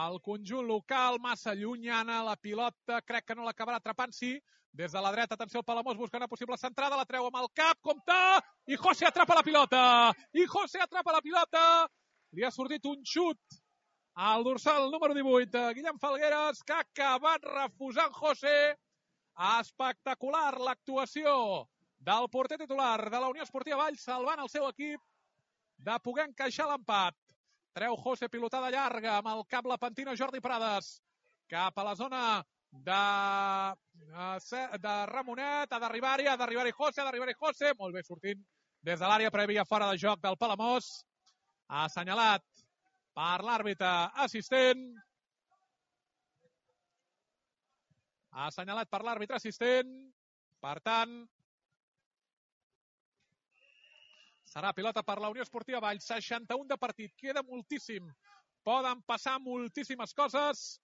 el conjunt local, massa llunyana, la pilota crec que no l'acabarà atrapant, sí. Des de la dreta, atenció, el Palamós busca una possible centrada, la treu amb el cap, compte, i José atrapa la pilota. I José atrapa la pilota. Li ha sortit un xut al dorsal número 18, Guillem Falgueres, que ha acabat refusant José. Espectacular l'actuació del porter titular de la Unió Esportiva Valls, salvant el seu equip de poder encaixar l'empat. Treu José, pilotada llarga, amb el cap la pentina Jordi Prades, cap a la zona de Ramonet, ha d'arribar-hi José, molt bé sortint des de l'àrea prèvia fora de joc del Palamós, ha assenyalat per l'àrbitre assistent, per tant, serà pilota per la Unió Esportiva Valls, 61 de partit, queda moltíssim, poden passar moltíssimes coses,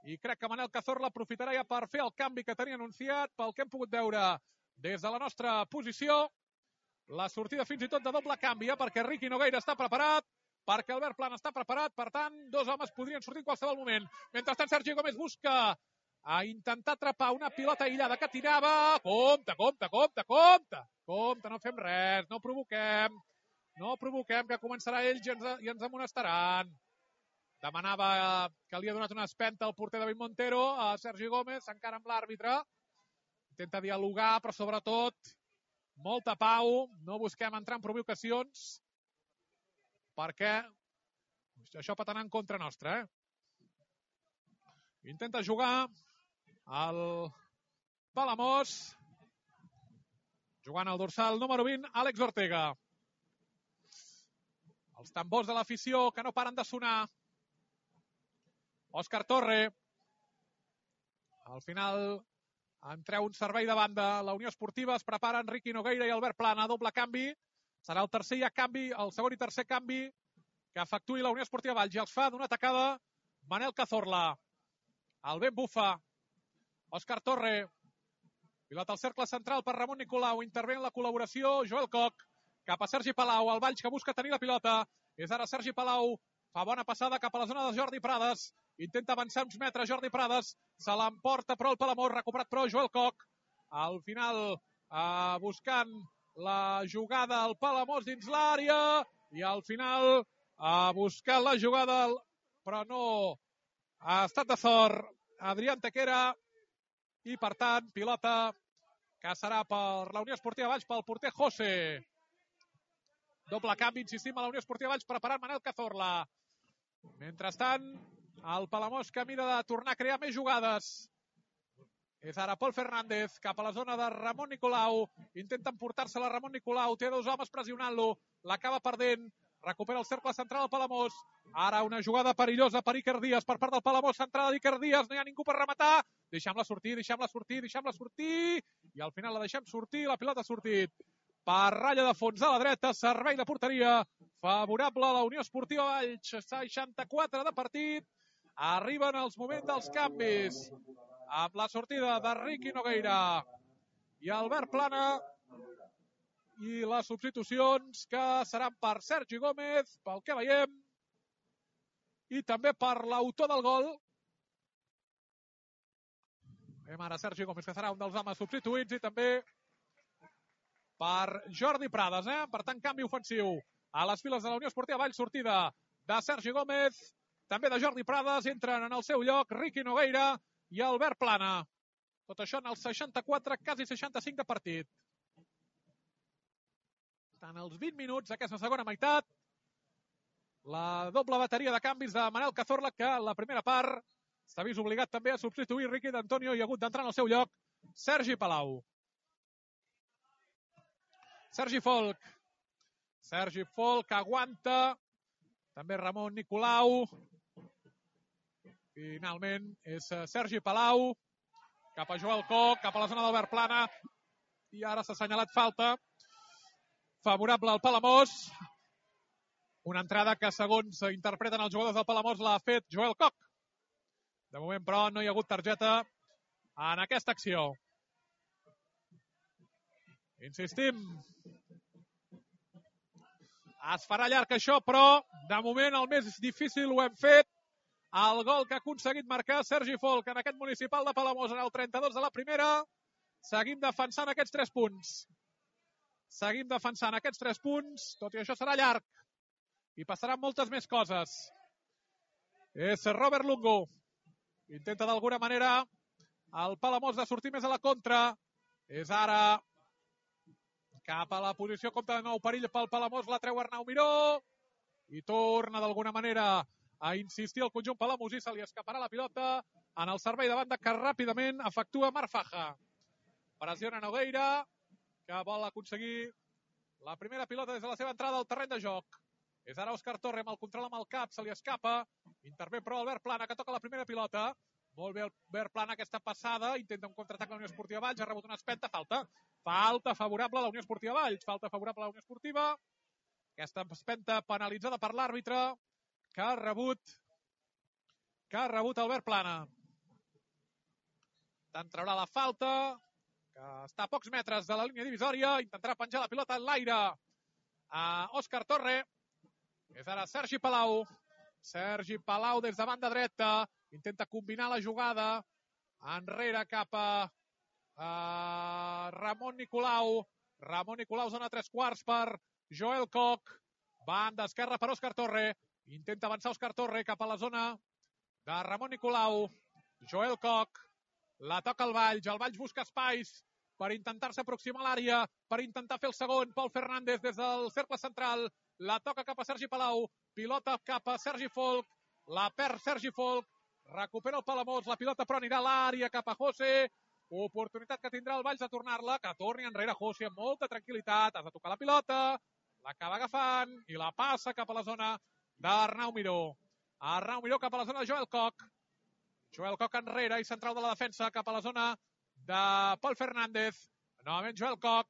i crec que Manel Cazorla aprofitarà ja per fer el canvi que tenia anunciat, pel que hem pogut veure des de la nostra posició, la sortida fins i tot de doble canvi, perquè Riqui Nogueira està preparat, perquè Albert Plana està preparat, per tant, dos homes podrien sortir en qualsevol moment. Mentrestant, Sergi Gómez busca a intentar atrapar una pilota aïllada que tirava. Compte, no fem res, no provoquem, que començarà ells i ens amonestaran. Demanava que li ha donat una espenta al porter David Montero, a Sergi Gómez, encara amb l'àrbitre. Intenta dialogar, però sobretot molta pau, no busquem entrar en provocacions, perquè això pot anar en contra nostra. Intenta jugar el Palamós, jugant al dorsal número 20, Àlex Ortega. Els tambors de l'afició que no paren de sonar. Òscar Torre. Al final en treu un servei de banda. La Unió Esportiva es preparen Riqui Nogueira i Albert Plana. Doble canvi. Serà el tercer canvi, el segon i tercer canvi que efectuï la Unió Esportiva Valls. I els fa d'una tacada Manel Cazorla. El vent bufa. Òscar Torre. Pilota al cercle central per Ramon Nicolau. Intervé en la col·laboració Joel Coc. Cap a Sergi Palau. El Valls que busca tenir la pilota. És ara Sergi Palau. Fa bona passada cap a la zona de Jordi Prades. Intenta avançar uns metres Jordi Prades. Se l'emporta però el Palamós. Recuperat però Joel Coc. Al final buscant la jugada al Palamós dins l'àrea. I al final buscant la jugada però no ha estat de sort Adrià Antequera. I per tant pilota que serà per la Unió Esportiva Valls pel porter José. Doble canvi, insistim, a la Unió Esportiva Valls preparant Manel Cazorla. Mentrestant, el Palamós que mira de tornar a crear més jugades. És ara Pol Fernández cap a la zona de Ramon Nicolau. Intenta emportar-se-la Ramon Nicolau. Té dos homes pressionant-lo. L'acaba perdent. Recupera el cercle central del Palamós. Ara una jugada perillosa per Iker Díaz per part del Palamós. Centrada d'Iker Díaz. No hi ha ningú per rematar. Deixem-la sortir. I al final la deixem sortir. La pilota ha sortit per ratlla de fons a la dreta. Servei de porteria favorable a la Unió Esportiva Valls. 64 de partit. Arriben els moments dels canvis. Amb la sortida de Riqui Nogueira i Albert Plana. I les substitucions que seran per Sergi Gómez, pel que veiem, i també per l'autor del gol. Veiem ara Sergi Gómez, que serà un dels homes substituïts, i també per Jordi Prades. Per tant, canvi ofensiu a les files de la Unió Esportiva Valls. Sortida de Sergi Gómez, també de Jordi Prades. Entren en el seu lloc Riqui Nogueira i Albert Plana. Tot això en els 64, quasi 65 de partit. En els 20 minuts d'aquesta segona meitat, la doble bateria de canvis de Manel Cazorla, que en la primera part s'ha vist obligat també a substituir Riqui d'Antonio i ha hagut d'entrar en el seu lloc Sergi Palau. Sergi Folk aguanta, també Ramon Nicolau. Finalment és Sergi Palau, cap a Joel Coc, cap a la zona d'Albert Plana, i ara s'ha assenyalat falta favorable al Palamós. Una entrada que, segons interpreten els jugadors del Palamós, l'ha fet Joel Coc. De moment, però, no hi ha hagut targeta en aquesta acció. Insistim. Es farà llarg això, però de moment el més difícil ho hem fet. El gol que ha aconseguit marcar Sergi Folk en aquest municipal de Palamós en el 32 de la primera. Seguim defensant aquests 3 punts. Tot i això serà llarg. I passaran moltes més coses. És Robert Lungo. Intenta d'alguna manera el Palamós de sortir més a la contra. És ara cap a la posició, compte de nou perill pel Palamós, la treu Arnau Miró. I torna d'alguna manera a insistir el conjunt palamosí, se li escaparà la pilota en el servei de banda que ràpidament efectua Marfaja. Pressiona Nogueira, que vol aconseguir la primera pilota des de la seva entrada al terreny de joc. És ara Òscar Torre amb el control amb el cap, se li escapa. Intervé però Albert Plana, que toca la primera pilota. Molt bé Albert Plana, aquesta passada. Intenta un contraatac a la Unió Esportiva Valls, ha rebut una espenta, falta. Falta favorable a la Unió Esportiva Valls. Falta favorable a la Unió Esportiva. Aquesta espenta penalitzada per l'àrbitre que ha rebut Albert Plana. Tant traurà la falta, que està a pocs metres de la línia divisòria. Intentarà penjar la pilota en l'aire a Òscar Torre. És ara Sergi Palau. Sergi Palau des de banda dreta. Intenta combinar la jugada. Enrere cap a Ramon Nicolau. Ramon Nicolau zona 3/4 per Joel Koch. Banda esquerra per Òscar Torre. Intenta avançar Òscar Torre cap a la zona de Ramon Nicolau. Joel Koch. La toca el Valls busca espais per intentar-se aproximar a l'àrea, per intentar fer el segon. Pol Fernández des del cercle central. La toca cap a Sergi Palau. Pilota cap a Sergi Folch. La perd Sergi Folch. Recupera el Palamós. La pilota però anirà a l'àrea cap a José. Oportunitat que tindrà el Valls de tornar-la. Que torni enrere José amb molta tranquil·litat. Has de tocar la pilota. L'acaba agafant i la passa cap a la zona d'Arnau Miró. Arnau Miró cap a la zona de Joel Koch. Joel Koch enrere i central de la defensa cap a la zona de Pol Fernández. Novament Joel Koch.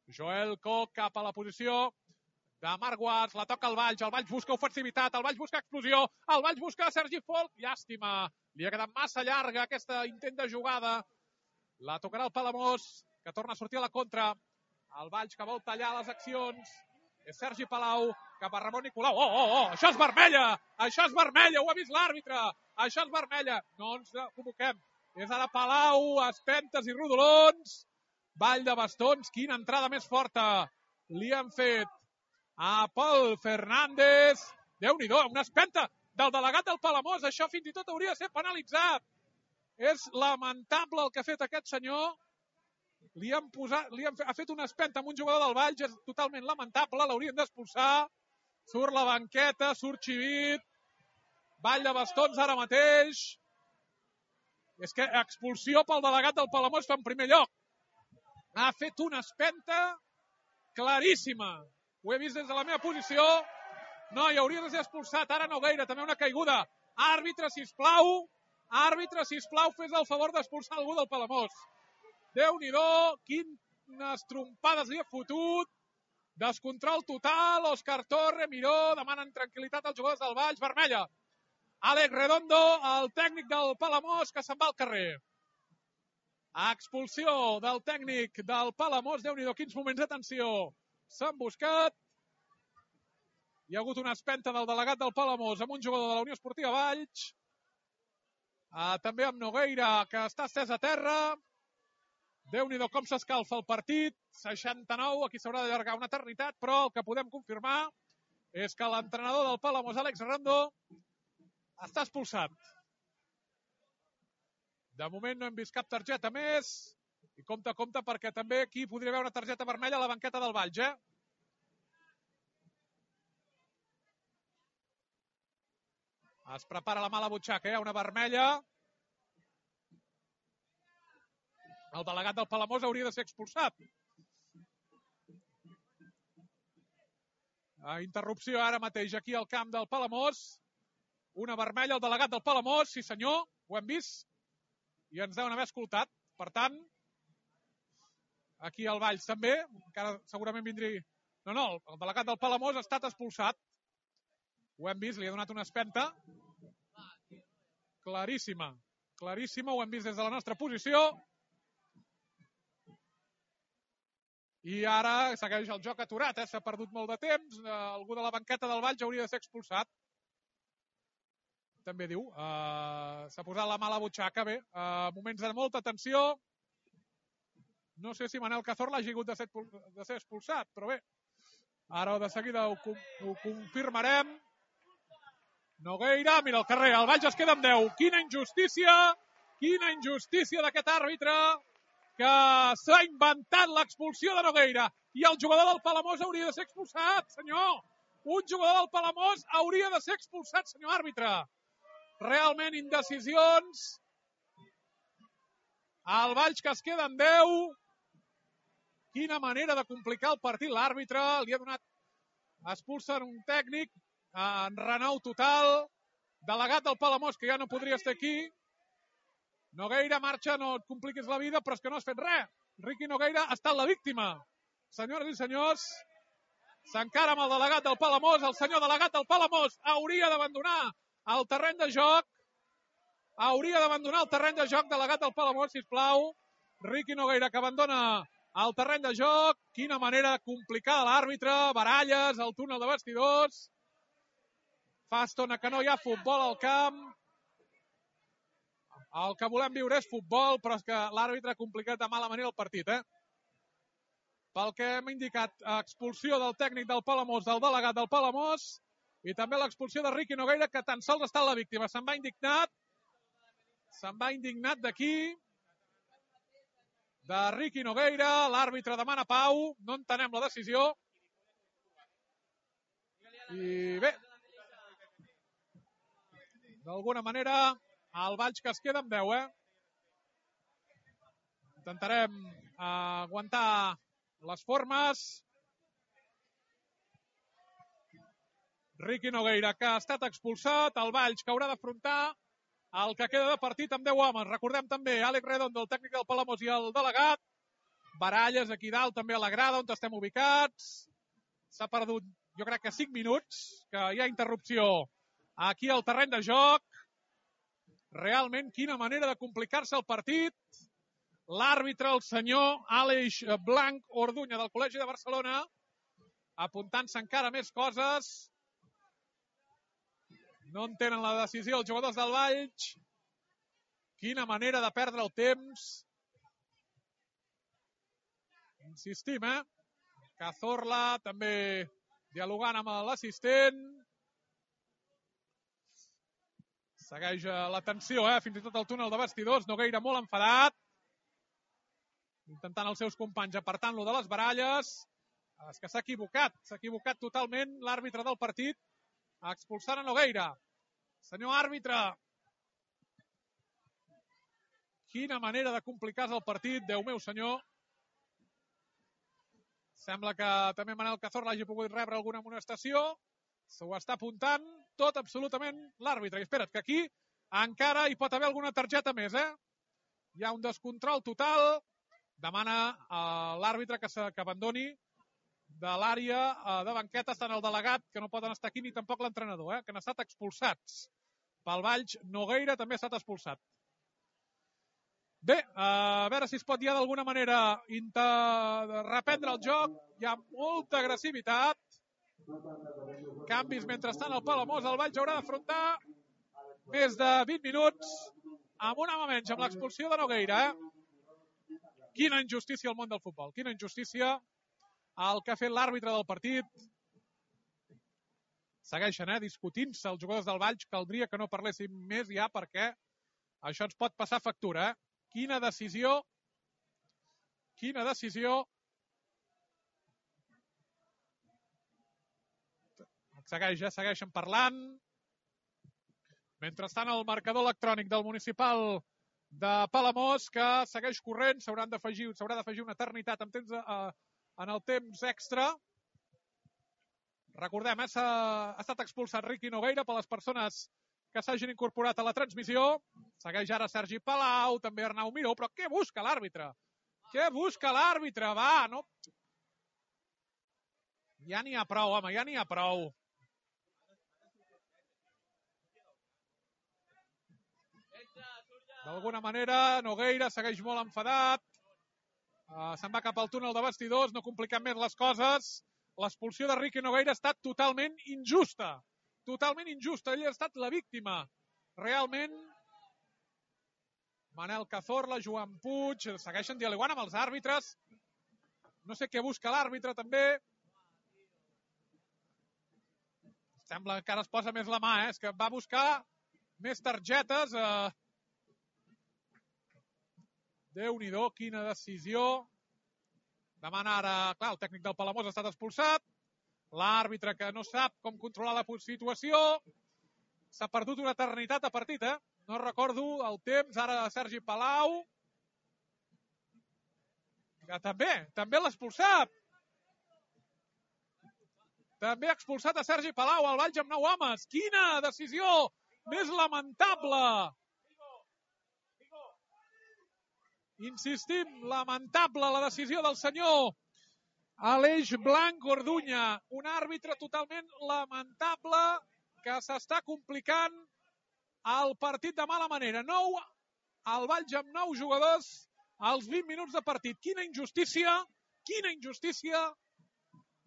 Joel Koch cap a la posició de Marc Guas. La toca el Valls busca ofensivitat, el Valls busca explosió, el Valls busca Sergi Folch. Llàstima, li ha quedat massa llarga aquesta intent de jugada. La tocarà el Palamós, que torna a sortir a la contra. El Valls que vol tallar les accions. És Sergi Palau cap a Ramon Nicolau. Oh, això és vermella! Això és vermella, ho ha vist l'àrbitre! Això és vermella! No ens convoquem. És ara Palau, espentes i rodolons. Ball de bastons, quina entrada més forta li han fet a Pol Fernández. Déu-n'hi-do, una espenta del delegat del Palamós. Això fins i tot hauria de ser penalitzat. És lamentable el que ha fet aquest senyor. Ha fet una espenta amb un jugador del Valls, és totalment lamentable, l'haurien d'expulsar. Surt la banqueta, surt Xivit. Ball de bastons ara mateix. És que expulsió pel delegat del Palamós fa en primer lloc. Ha fet una espenta claríssima. Ho he vist des de la meva posició. No, hi hauria de ser expulsat. Ara Nogueira, també una caiguda. Àrbitre, sisplau. Àrbitre, sisplau, fes el favor d'expulsar algú del Palamós. Déu-n'hi-do, quines trompades li ha fotut. Descontrol total. Òscar Torre, Miró, demanen tranquil·litat als jugadors del Valls. Vermella. Àlex Redondo, el tècnic del Palamós, que se'n va al carrer. Expulsió del tècnic del Palamós. Déu-n'hi-do, quins moments d'atenció s'han buscat. Hi ha hagut una espenta del delegat del Palamós amb un jugador de la Unió Esportiva Valls. També amb Nogueira, que està estès a terra. Déu-n'hi-do com s'escalfa el partit. 69, aquí s'haurà d'allargar una eternitat, però el que podem confirmar és que l'entrenador del Palamós, Àlex Redondo, està expulsat. De moment no hem vist cap targeta més. I compte, perquè també aquí podria haver una targeta vermella a la banqueta del Valls, Es prepara la mala butxaca, una vermella. El delegat del Palamós hauria de ser expulsat. Interrupció ara mateix aquí al camp del Palamós. Una vermella al delegat del Palamós, sí senyor, ho hem vist. I ens deuen haver escoltat. Per tant, aquí al Valls també, encara segurament vindria... No, el delegat del Palamós ha estat expulsat. Ho hem vist, li ha donat una espenta. Claríssima, ho hem vist des de la nostra posició. I ara segueix el joc aturat, s'ha perdut molt de temps. Algú de la banqueta del Valls hauria de ser expulsat. També diu, s'ha posat la mala butxaca, bé, moments de molta tensió. No sé si Manel Cazorla hagi hagut de ser expulsat, però bé, ara de seguida ho confirmarem. Nogueira, mira el carrer, el Valls es queda amb 10. Quina injustícia d'aquest àrbitre que s'ha inventat l'expulsió de Nogueira. I el jugador del Palamós hauria de ser expulsat, senyor. Un jugador del Palamós hauria de ser expulsat, senyor àrbitre. Realment indecisions El Valls que es queda en 10. Quina manera de complicar el partit. L'àrbitre li ha donat expulsen un tècnic en renou total. Delegat del Palamós, que ja no podria estar aquí. Nogueira marxa, no et compliquis la vida, però és que no has fet res. Riqui Nogueira ha estat la víctima. Senyores i senyors, s'encara amb el delegat del Palamós. El senyor delegat del Palamós hauria d'abandonar el terreny de joc. Hauria d'abandonar el terreny de joc, delegat del Palamós, sisplau. Riqui Nogueira, que abandona el terreny de joc. Quina manera complicada l'àrbitre. Baralles, el túnel de vestidors. Fa estona que no hi ha futbol al camp. El que volem viure és futbol, però és que l'àrbitre ha complicat de mala manera el partit, Pel que hem indicat, expulsió del tècnic del Palamós, del delegat del Palamós, i també l'expulsió de Riqui Nogueira, que tan sols ha estat la víctima. Se'n va indignat d'aquí, de Riqui Nogueira. L'àrbitre demana pau, no entenem la decisió. I bé, d'alguna manera, el Valls que es queda amb 10, Intentarem aguantar les formes. Riqui Nogueira, que ha estat expulsat. El Valls, que haurà d'afrontar el que queda de partit amb 10 homes. Recordem també Àlex Redondo, el tècnic del Palamós, i el delegat. Baralles aquí dalt, també a la grada, on estem ubicats. S'ha perdut, jo crec que 5 minuts, que hi ha interrupció aquí al terreny de joc. Realment, quina manera de complicar-se el partit. L'àrbitre, el senyor Àlex Blanc Orduña, del Col·legi de Barcelona, apuntant-se encara més coses. No entenen la decisió els jugadors del Valls. Quina manera de perdre el temps. Insistim, Cazorla també dialogant amb l'assistent. Segueix la tensió, fins i tot el túnel de vestidors. Nogueira molt enfadat. Intentant els seus companys apartant-lo de les baralles. És que s'ha equivocat totalment l'àrbitre del partit, expulsant a Nogueira. Senyor àrbitre, quina manera de complicar-se el partit, Déu meu senyor. Sembla que també Manel Cazorla hagi pogut rebre alguna amonestació. S'ho està apuntant tot absolutament l'àrbitre. I espera't, que aquí encara hi pot haver alguna targeta més, Hi ha un descontrol total. Demana a l'àrbitre que abandoni de l'àrea de banquetes tant el delegat, que no poden estar aquí, ni tampoc l'entrenador, que han estat expulsats. Pel Valls, Nogueira també ha estat expulsat. Bé, a veure si es pot ja d'alguna manera reprendre el joc. Hi ha molta agressivitat. Canvis mentrestant al Palamós. El Valls haurà d'afrontar més de 20 minuts amb un home menys, amb l'expulsió de Nogueira. Quina injustícia al món del futbol. Quina injustícia el que ha fet l'àrbitre del partit. Segueixen, discutint-se els jugadors del Valls. Caldria que no parléssim més ja, perquè això ens pot passar factura, Quina decisió. Quina decisió. Segueixen parlant. Mentrestant, el marcador electrònic del municipal de Palamós, que segueix corrent, s'haurà d'afegir una eternitat en el temps extra. Recordem, ha estat expulsat Riqui Nogueira per les persones que s'hagin incorporat a la transmissió. Segueix ara Sergi Palau, també Arnau Miró, però què busca l'àrbitre? Què busca l'àrbitre? Va, no... Ja n'hi ha prou, home, ja n'hi ha prou. D'alguna manera, Nogueira segueix molt enfadat. Se'n va cap al túnel de vestidors, no complicant més les coses. L'expulsió de Riqui Nogueira ha estat totalment injusta. Totalment injusta. Ell ha estat la víctima. Realment, Manel Cazorla, Joan Puig, segueixen dialogant amb els àrbitres. No sé què busca l'àrbitre, també. Sembla que ara es posa més la mà, És que va buscar més targetes. Déu-n'hi-do, quina decisió. Demana ara, clar, el tècnic del Palamós ha estat expulsat. L'àrbitre que no sap com controlar la situació. S'ha perdut una eternitat de partit, No recordo el temps. Ara Sergi Palau. Que també l'ha expulsat. També ha expulsat a Sergi Palau, al Valls amb 9 homes. Quina decisió més lamentable. Insistim, lamentable la decisió del senyor Aleix Blanc Orduña. Un àrbitre totalment lamentable que s'està complicant el partit de mala manera. El Valls amb 9 jugadors als 20 minuts de partit. Quina injustícia, quina injustícia,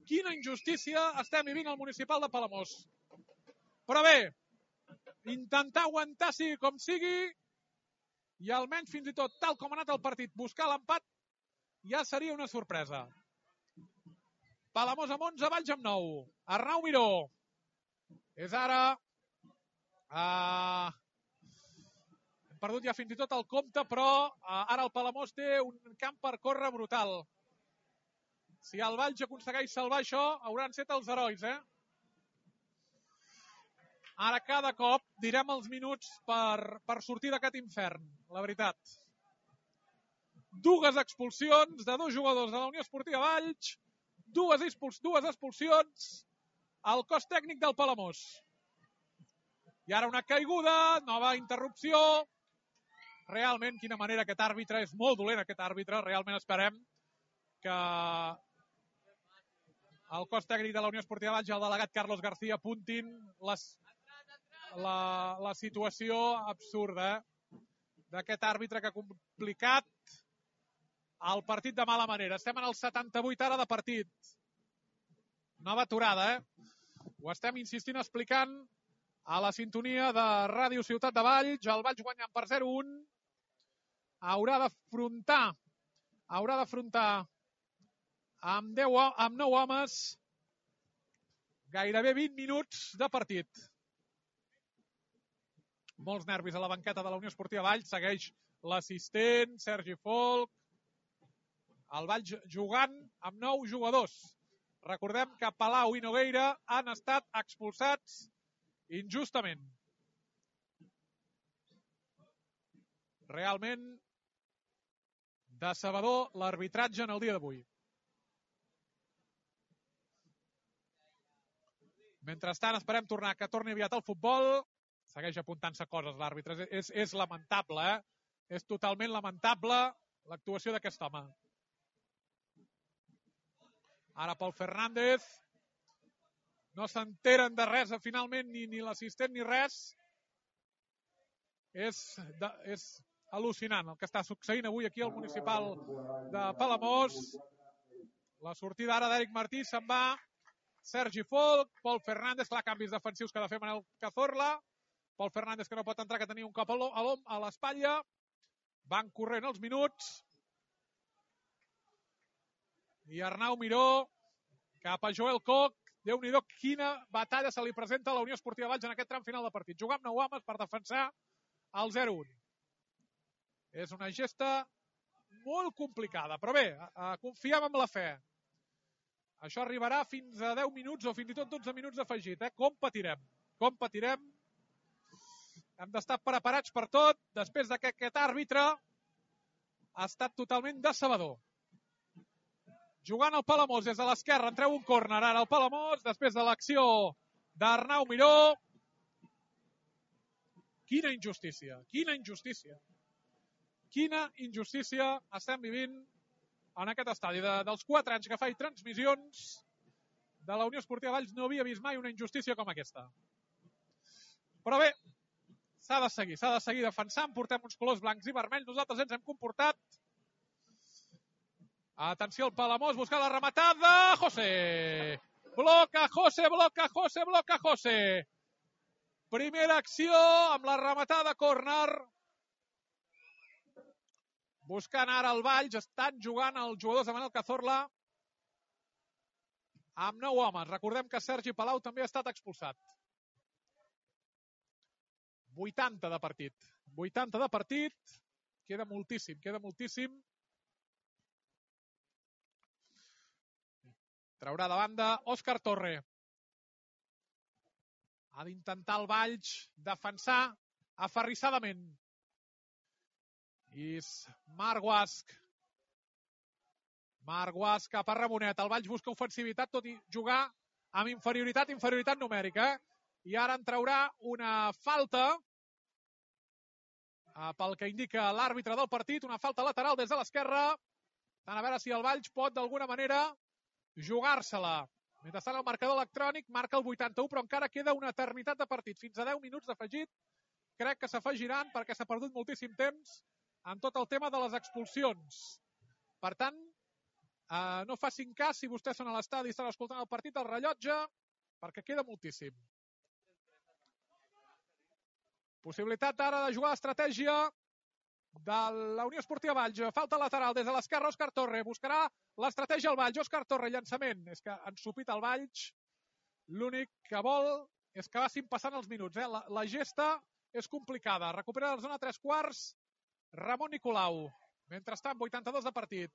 quina injustícia estem vivint al municipal de Palamós. Però bé, intentar aguantar sigui com sigui i almenys fins i tot tal com ha anat el partit, buscar l'empat ja seria una sorpresa. Palamós amb 11, Valls amb 9. Arnau Miró. És ara... Hem perdut ja fins i tot el compte, però ara el Palamós té un camp per córrer brutal. Si el Valls aconsegueix salvar això, hauran set els herois, Ara cada cop direm els minuts per sortir d'aquest infern, la veritat. 2 expulsions de 2 jugadors de la Unió Esportiva Valls, 2 expulsions al cos tècnic del Palamós. I ara una caiguda, nova interrupció. Realment, quina manera aquest àrbitre, és molt dolent aquest àrbitre, realment esperem que el cos tècnic de la Unió Esportiva Valls i el delegat Carlos García apuntin la situació absurda d'aquest àrbitre que ha complicat el partit de mala manera. Estem en el 78 ara de partit. Nova aturada, Ho estem insistint explicant a la sintonia de Ràdio Ciutat de Valls. El Valls guanyant per 0-1. Haurà d'afrontar amb 9 homes gairebé 20 minuts de partit. Molts nervis a la banqueta de la Unió Esportiva Valls. Segueix l'assistent, Sergi Folk. El Valls jugant amb 9 jugadors. Recordem que Palau i Nogueira han estat expulsats injustament. Realment decebedor l'arbitratge en el dia d'avui. Mentrestant esperem que torni aviat al futbol. Segueix apuntant-se coses l'àrbitre. És lamentable, És totalment lamentable l'actuació d'aquest home. Ara Pol Fernández. No s'enteren de res, finalment, ni l'assistent ni res. És al·lucinant el que està succeint avui aquí al municipal de Palamós. La sortida ara d'Eric Martí se'n va. Sergi Folk, Pol Fernández, clar, canvis defensius que ha de fer Manel Cazorla. Pol Fernández que no pot entrar, que tenia un cop a l'espatlla. Van corrent els minuts. I Arnau Miró cap a Joel Koch. Déu-n'hi-do, quina batalla se li presenta a la Unió Esportiva Valls en aquest tram final de partit. Jugar amb 9 homes per defensar el 0-1. És una gesta molt complicada, però bé, confiem en la fe. Això arribarà fins a 10 minuts o fins i tot 12 minuts afegit. Com patirem? Com patirem? Hem d'estar preparats per tot, després que aquest àrbitre ha estat totalment decebedor. Jugant el Palamós des de l'esquerra, entreu un córner ara el Palamós, després de l'acció d'Arnau Miró. Quina injustícia, quina injustícia. Quina injustícia estem vivint en aquest estadi. Dels 4 anys que faig transmissions de la Unió Esportiva Valls no havia vist mai una injustícia com aquesta. Però bé, s'ha de seguir defensant, portem uns colors blancs i vermells, nosaltres ens hem comportat. Atenció al Palamós, buscar la rematada, José. Bloca José. Primera acció amb la rematada córner. Buscant ara el Valls, estan jugant els jugadors de Manel Cazorla amb 9 homes. Recordem que Sergi Palau també ha estat expulsat. 80 de partit. 80 de partit. Queda moltíssim. Traurà de banda Òscar Torre. Ha d'intentar el Valls defensar aferrissadament. I Marc Guasch Marc Guas cap a Ramonet. El Valls busca ofensivitat, tot i jugar amb inferioritat numèrica. I ara en traurà una falta pel que indica l'àrbitre del partit. Una falta lateral des de l'esquerra. A veure si el Valls pot d'alguna manera jugar-se-la. Mentrestant el marcador electrònic marca el 81, però encara queda una eternitat de partit. Fins a 10 minuts d'afegit. Crec que s'afegiran perquè s'ha perdut moltíssim temps en tot el tema de les expulsions. Per tant, no facin cas si vostès són a l'estadi i estan escoltant el partit al rellotge, perquè queda moltíssim. Possibilitat ara de jugar l'estratègia de la Unió Esportiva Valls. Falta lateral des de l'esquerra, Òscar Torre. Buscarà l'estratègia al Valls. Òscar Torre, llançament. És que ha ensupit el Valls. L'únic que vol és que vagin passant els minuts. La gesta és complicada. Recupera la zona 3/4. Ramon Nicolau. Mentrestant, 82 de partit.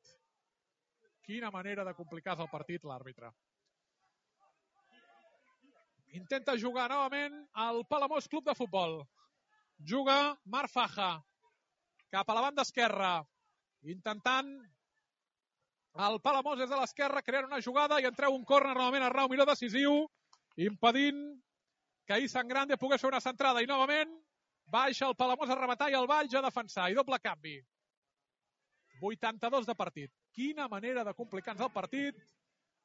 Quina manera de complicar el partit l'àrbitre. Intenta jugar novament el Palamós Club de Futbol. Juga Marc Faja cap a la banda esquerra. Intentant el Palamós des de l'esquerra crear una jugada i en treu un córner novament a Arnau Miró decisiu, impedint que Isan Grande pogués fer una centrada. I novament baixa el Palamós a rematar i el Valls a defensar. I doble canvi. 82 de partit. Quina manera de complicar-nos el partit.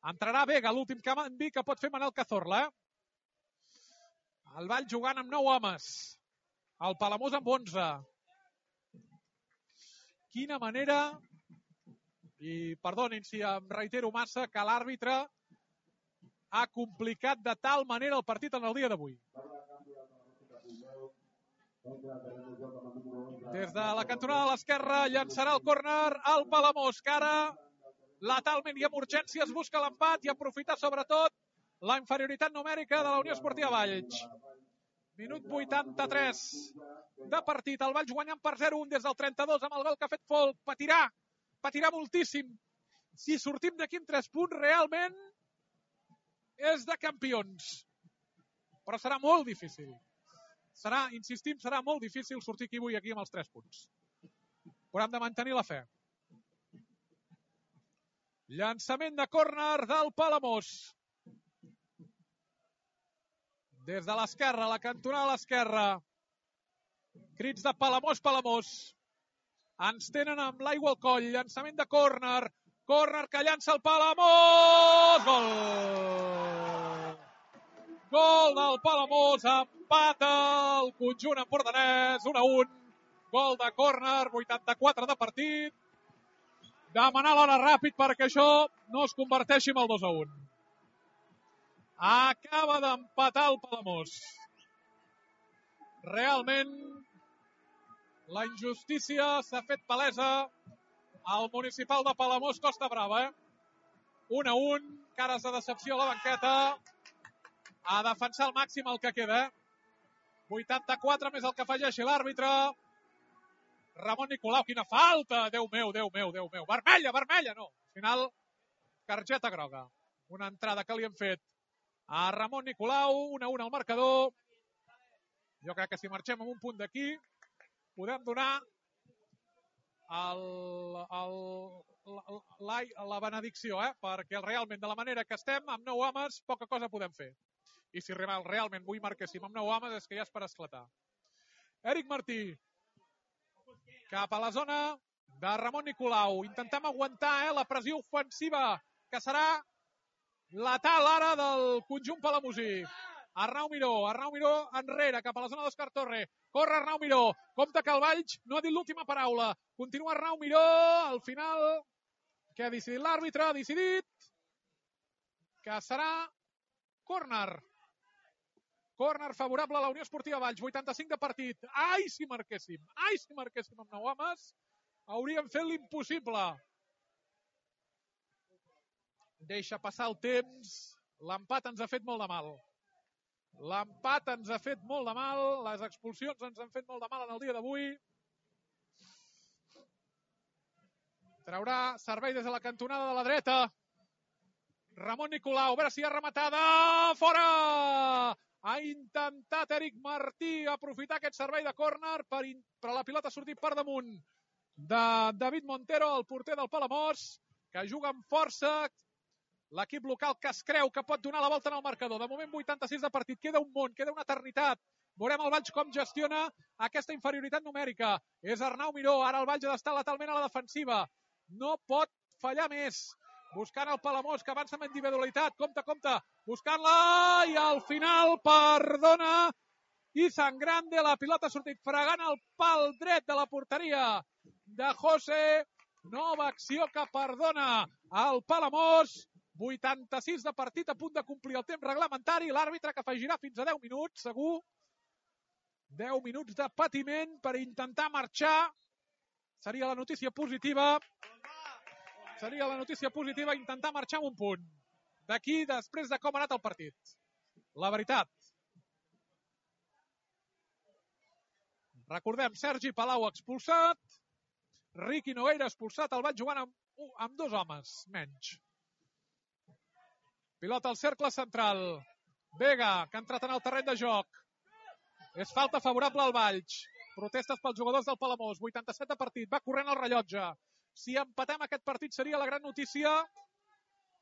Entrarà Vega, l'últim canvi que pot fer Manel Cazorla. El Valls jugant amb 9 homes. El Palamós amb 11. Quina manera, i perdonin si em reitero massa, que l'àrbitre ha complicat de tal manera el partit en el dia d'avui. Des de la cantonada de l'esquerra llançarà el córner al Palamós, que ara letalment i amb urgències busca l'empat i aprofitar sobretot la inferioritat numèrica de la Unió Esportiva Valls. Minut 83 de partit. El Valls guanyant per 0-1 des del 32 amb el gol que ha fet Folk. Patirà moltíssim. Si sortim d'aquí amb 3 punts, realment és de campions. Però serà molt difícil. Insistim, serà molt difícil sortir aquí avui aquí amb els 3 punts. Però hem de mantenir la fe. Llançament de córner del Palamós. Des de l'esquerra, la cantonada a l'esquerra. Crits de Palamós, Palamós. Ens tenen amb l'aigua al coll. Llançament de córner. Córner que llança el Palamós. Gol! Gol del Palamós. Empata el conjunt empordanès. 1-1. Gol de córner. 84 de partit. Demanar l'hora ràpid perquè això no es converteixi en el 2-1. Acaba d'empatar el Palamós. Realment, la injustícia s'ha fet palesa al municipal de Palamós, Costa Brava. 1-1, cares de decepció a la banqueta. A defensar al màxim el que queda. 84 més el que afegeixi l'àrbitre. Ramon Nicolau, quina falta! Déu meu. Vermella, no. Al final, targeta groga. Una entrada que li hem fet a Ramon Nicolau, 1-1 al marcador. Jo crec que si marxem amb un punt d'aquí, podem donar la benedicció, perquè realment de la manera que estem, amb 9 homes, poca cosa podem fer. I si realment vull marquéssim amb 9 homes, és que ja és per esclatar. Eric Martí, cap a la zona de Ramon Nicolau. Intentem aguantar la pressió ofensiva, que serà letal ara del conjunt palamosí. Arnau Miró enrere, cap a la zona d'Òscar Torre. Corre Arnau Miró. Compte que el Valls no ha dit l'última paraula. Continua Arnau Miró. Al final, què ha decidit l'àrbitre? Ha decidit que serà córner. Córner favorable a la Unió Esportiva Valls. 85 de partit. Ai, si marquéssim amb 9 homes, hauríem fet l'impossible. Deixa passar el temps. L'empat ens ha fet molt de mal. Les expulsions ens han fet molt de mal en el dia d'avui. Traurà servei des de la cantonada de la dreta. Ramon Nicolau, a veure si hi ha rematada. Fora! Ha intentat Eric Martí aprofitar aquest servei de córner, però la pilota ha sortit per damunt de David Montero, el porter del Palamós, que juga amb força, l'equip local que es creu que pot donar la volta en el marcador. De moment 86 de partit, queda un món, queda una eternitat. Veurem el Valls com gestiona aquesta inferioritat numèrica. És Arnau Miró, ara el Valls ha d'estar lateralment a la defensiva. No pot fallar més. Buscant el Palamós, que avança amb individualitat. Compte, buscant-la, i al final perdona Izan Grande. La pilota ha sortit fregant el pal dret de la porteria de José. Nova acció que perdona el Palamós. 86 de partit, a punt de complir el temps reglamentari. L'àrbitre que afegirà fins a 10 minuts, segur. 10 minuts de patiment per intentar marxar. Seria la notícia positiva. Intentar marxar amb un punt. D'aquí, després de com ha anat el partit. La veritat. Recordem, Sergi Palau expulsat. Riqui Nogueira expulsat. El Valls jugant amb 2 homes menys. Pilota al cercle central. Vega, que ha entrat en el terreny de joc. És falta favorable al Valls. Protestes pels jugadors del Palamós. 87 de partit. Va corrent el rellotge. Si empatem aquest partit seria la gran notícia.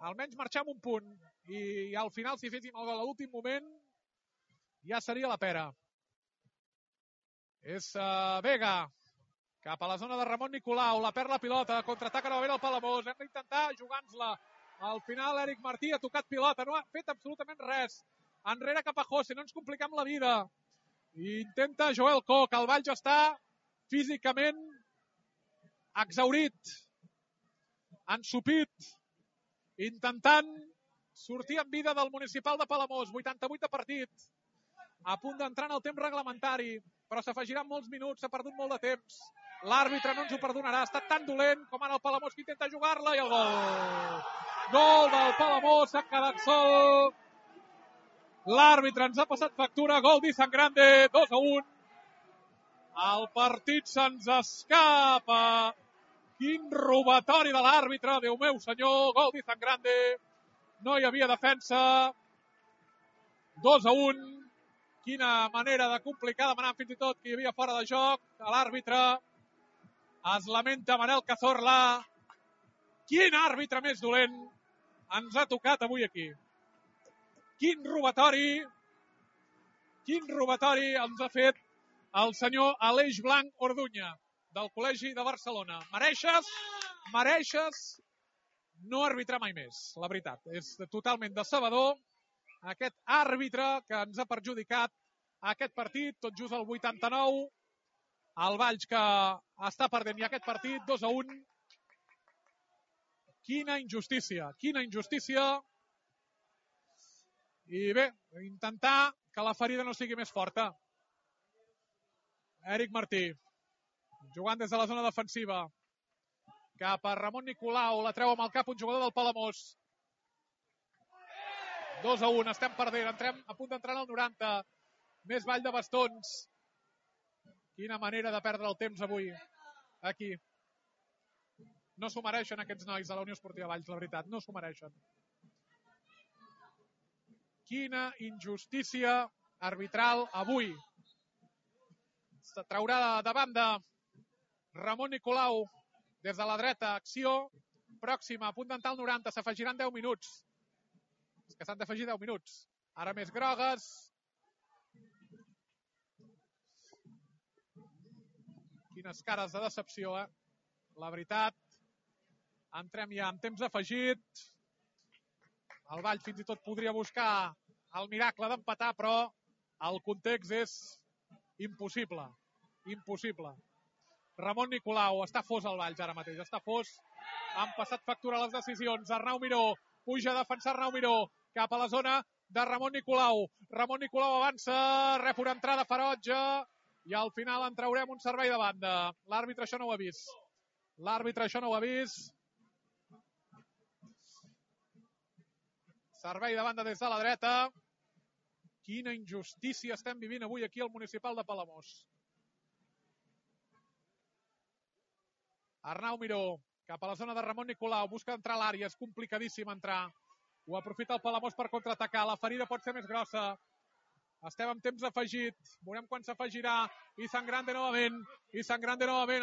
Almenys marxar amb un punt. I al final, si féssim el gol a l'últim moment, ja seria la pera. És Vega. Cap a la zona de Ramon Nicolau. La perd la pilota. Contraataca novament el Palamós. Hem d'intentar jugar-nos-la. Al final, Eric Martí ha tocat pilota. No ha fet absolutament res. Enrere cap a José. No ens compliquem la vida. Intenta Joel Coc. El Valls està físicament exhaurit, ensupit, intentant sortir en vida del municipal de Palamós. 88 de partit. A punt d'entrar en el temps reglamentari, però s'afegiran molts minuts. S'ha perdut molt de temps. L'àrbitre no ens ho perdonarà. Ha estat tan dolent com ara el Palamós, que intenta jugar-la, i el gol. Gol del Palamós, s'ha quedat sol. L'àrbitre ens ha passat factura. Gol d'Izan Grande, 2-1. El partit se'ns escapa. Quin robatori de l'àrbitre, Déu meu senyor. Gol d'Izan Grande. No hi havia defensa. 2-1. Quina manera de complicar, demanant fins i tot que hi havia fora de joc. L'àrbitre es lamenta, Manel Cazorla. Quin àrbitre més dolent ens ha tocat avui aquí. Quin robatori ens ha fet el senyor Aleix Blanc Orduña, del Col·legi de Barcelona. Mereixes no arbitrar mai més, la veritat. És totalment decebedor aquest àrbitre que ens ha perjudicat aquest partit, tot just al 89. El Valls que està perdent ja aquest partit, 2-1. Quina injustícia. I bé, intentar que la ferida no sigui més forta. Eric Martí, jugant des de la zona defensiva. Cap a Ramon Nicolau, la treu amb el cap un jugador del Palamós. 2-1, estem perdent, entrem a punt d'entrar al 90. Més ball de bastons. Quina manera de perdre el temps avui, aquí. No s'ho mereixen aquests nois de la Unió Esportiva Valls, la veritat, no s'ho mereixen. Quina injustícia arbitral avui. Se traurà de banda Ramon Nicolau des de la dreta, acció pròxima, a punt d'entrar al 90, s'afegiran 10 minuts. És que s'han d'afegir 10 minuts. Ara més grogues. Quines cares de decepció, eh? La veritat. Entrem ja en temps afegit. El Valls fins i tot podria buscar el miracle d'empatar, però el context és impossible. Ramon Nicolau, està fos el Valls ara mateix, està fos. Han passat factura les decisions. Arnau Miró, puja a defensar Arnau Miró, cap a la zona de Ramon Nicolau. Ramon Nicolau avança, rep una entrada ferotge, i al final en traurem un servei de banda. L'àrbitre això no ho ha vist. Servei de banda des de la dreta. Quina injustícia estem vivint avui aquí al municipal de Palamós. Arnau Miró, cap a la zona de Ramon Nicolau, busca entrar a l'àrea, és complicadíssim entrar. Ho aprofita el Palamós per contraatacar, la ferida pot ser més grossa. Estem en temps afegit, veurem quan s'afegirà. Izan Grande novament,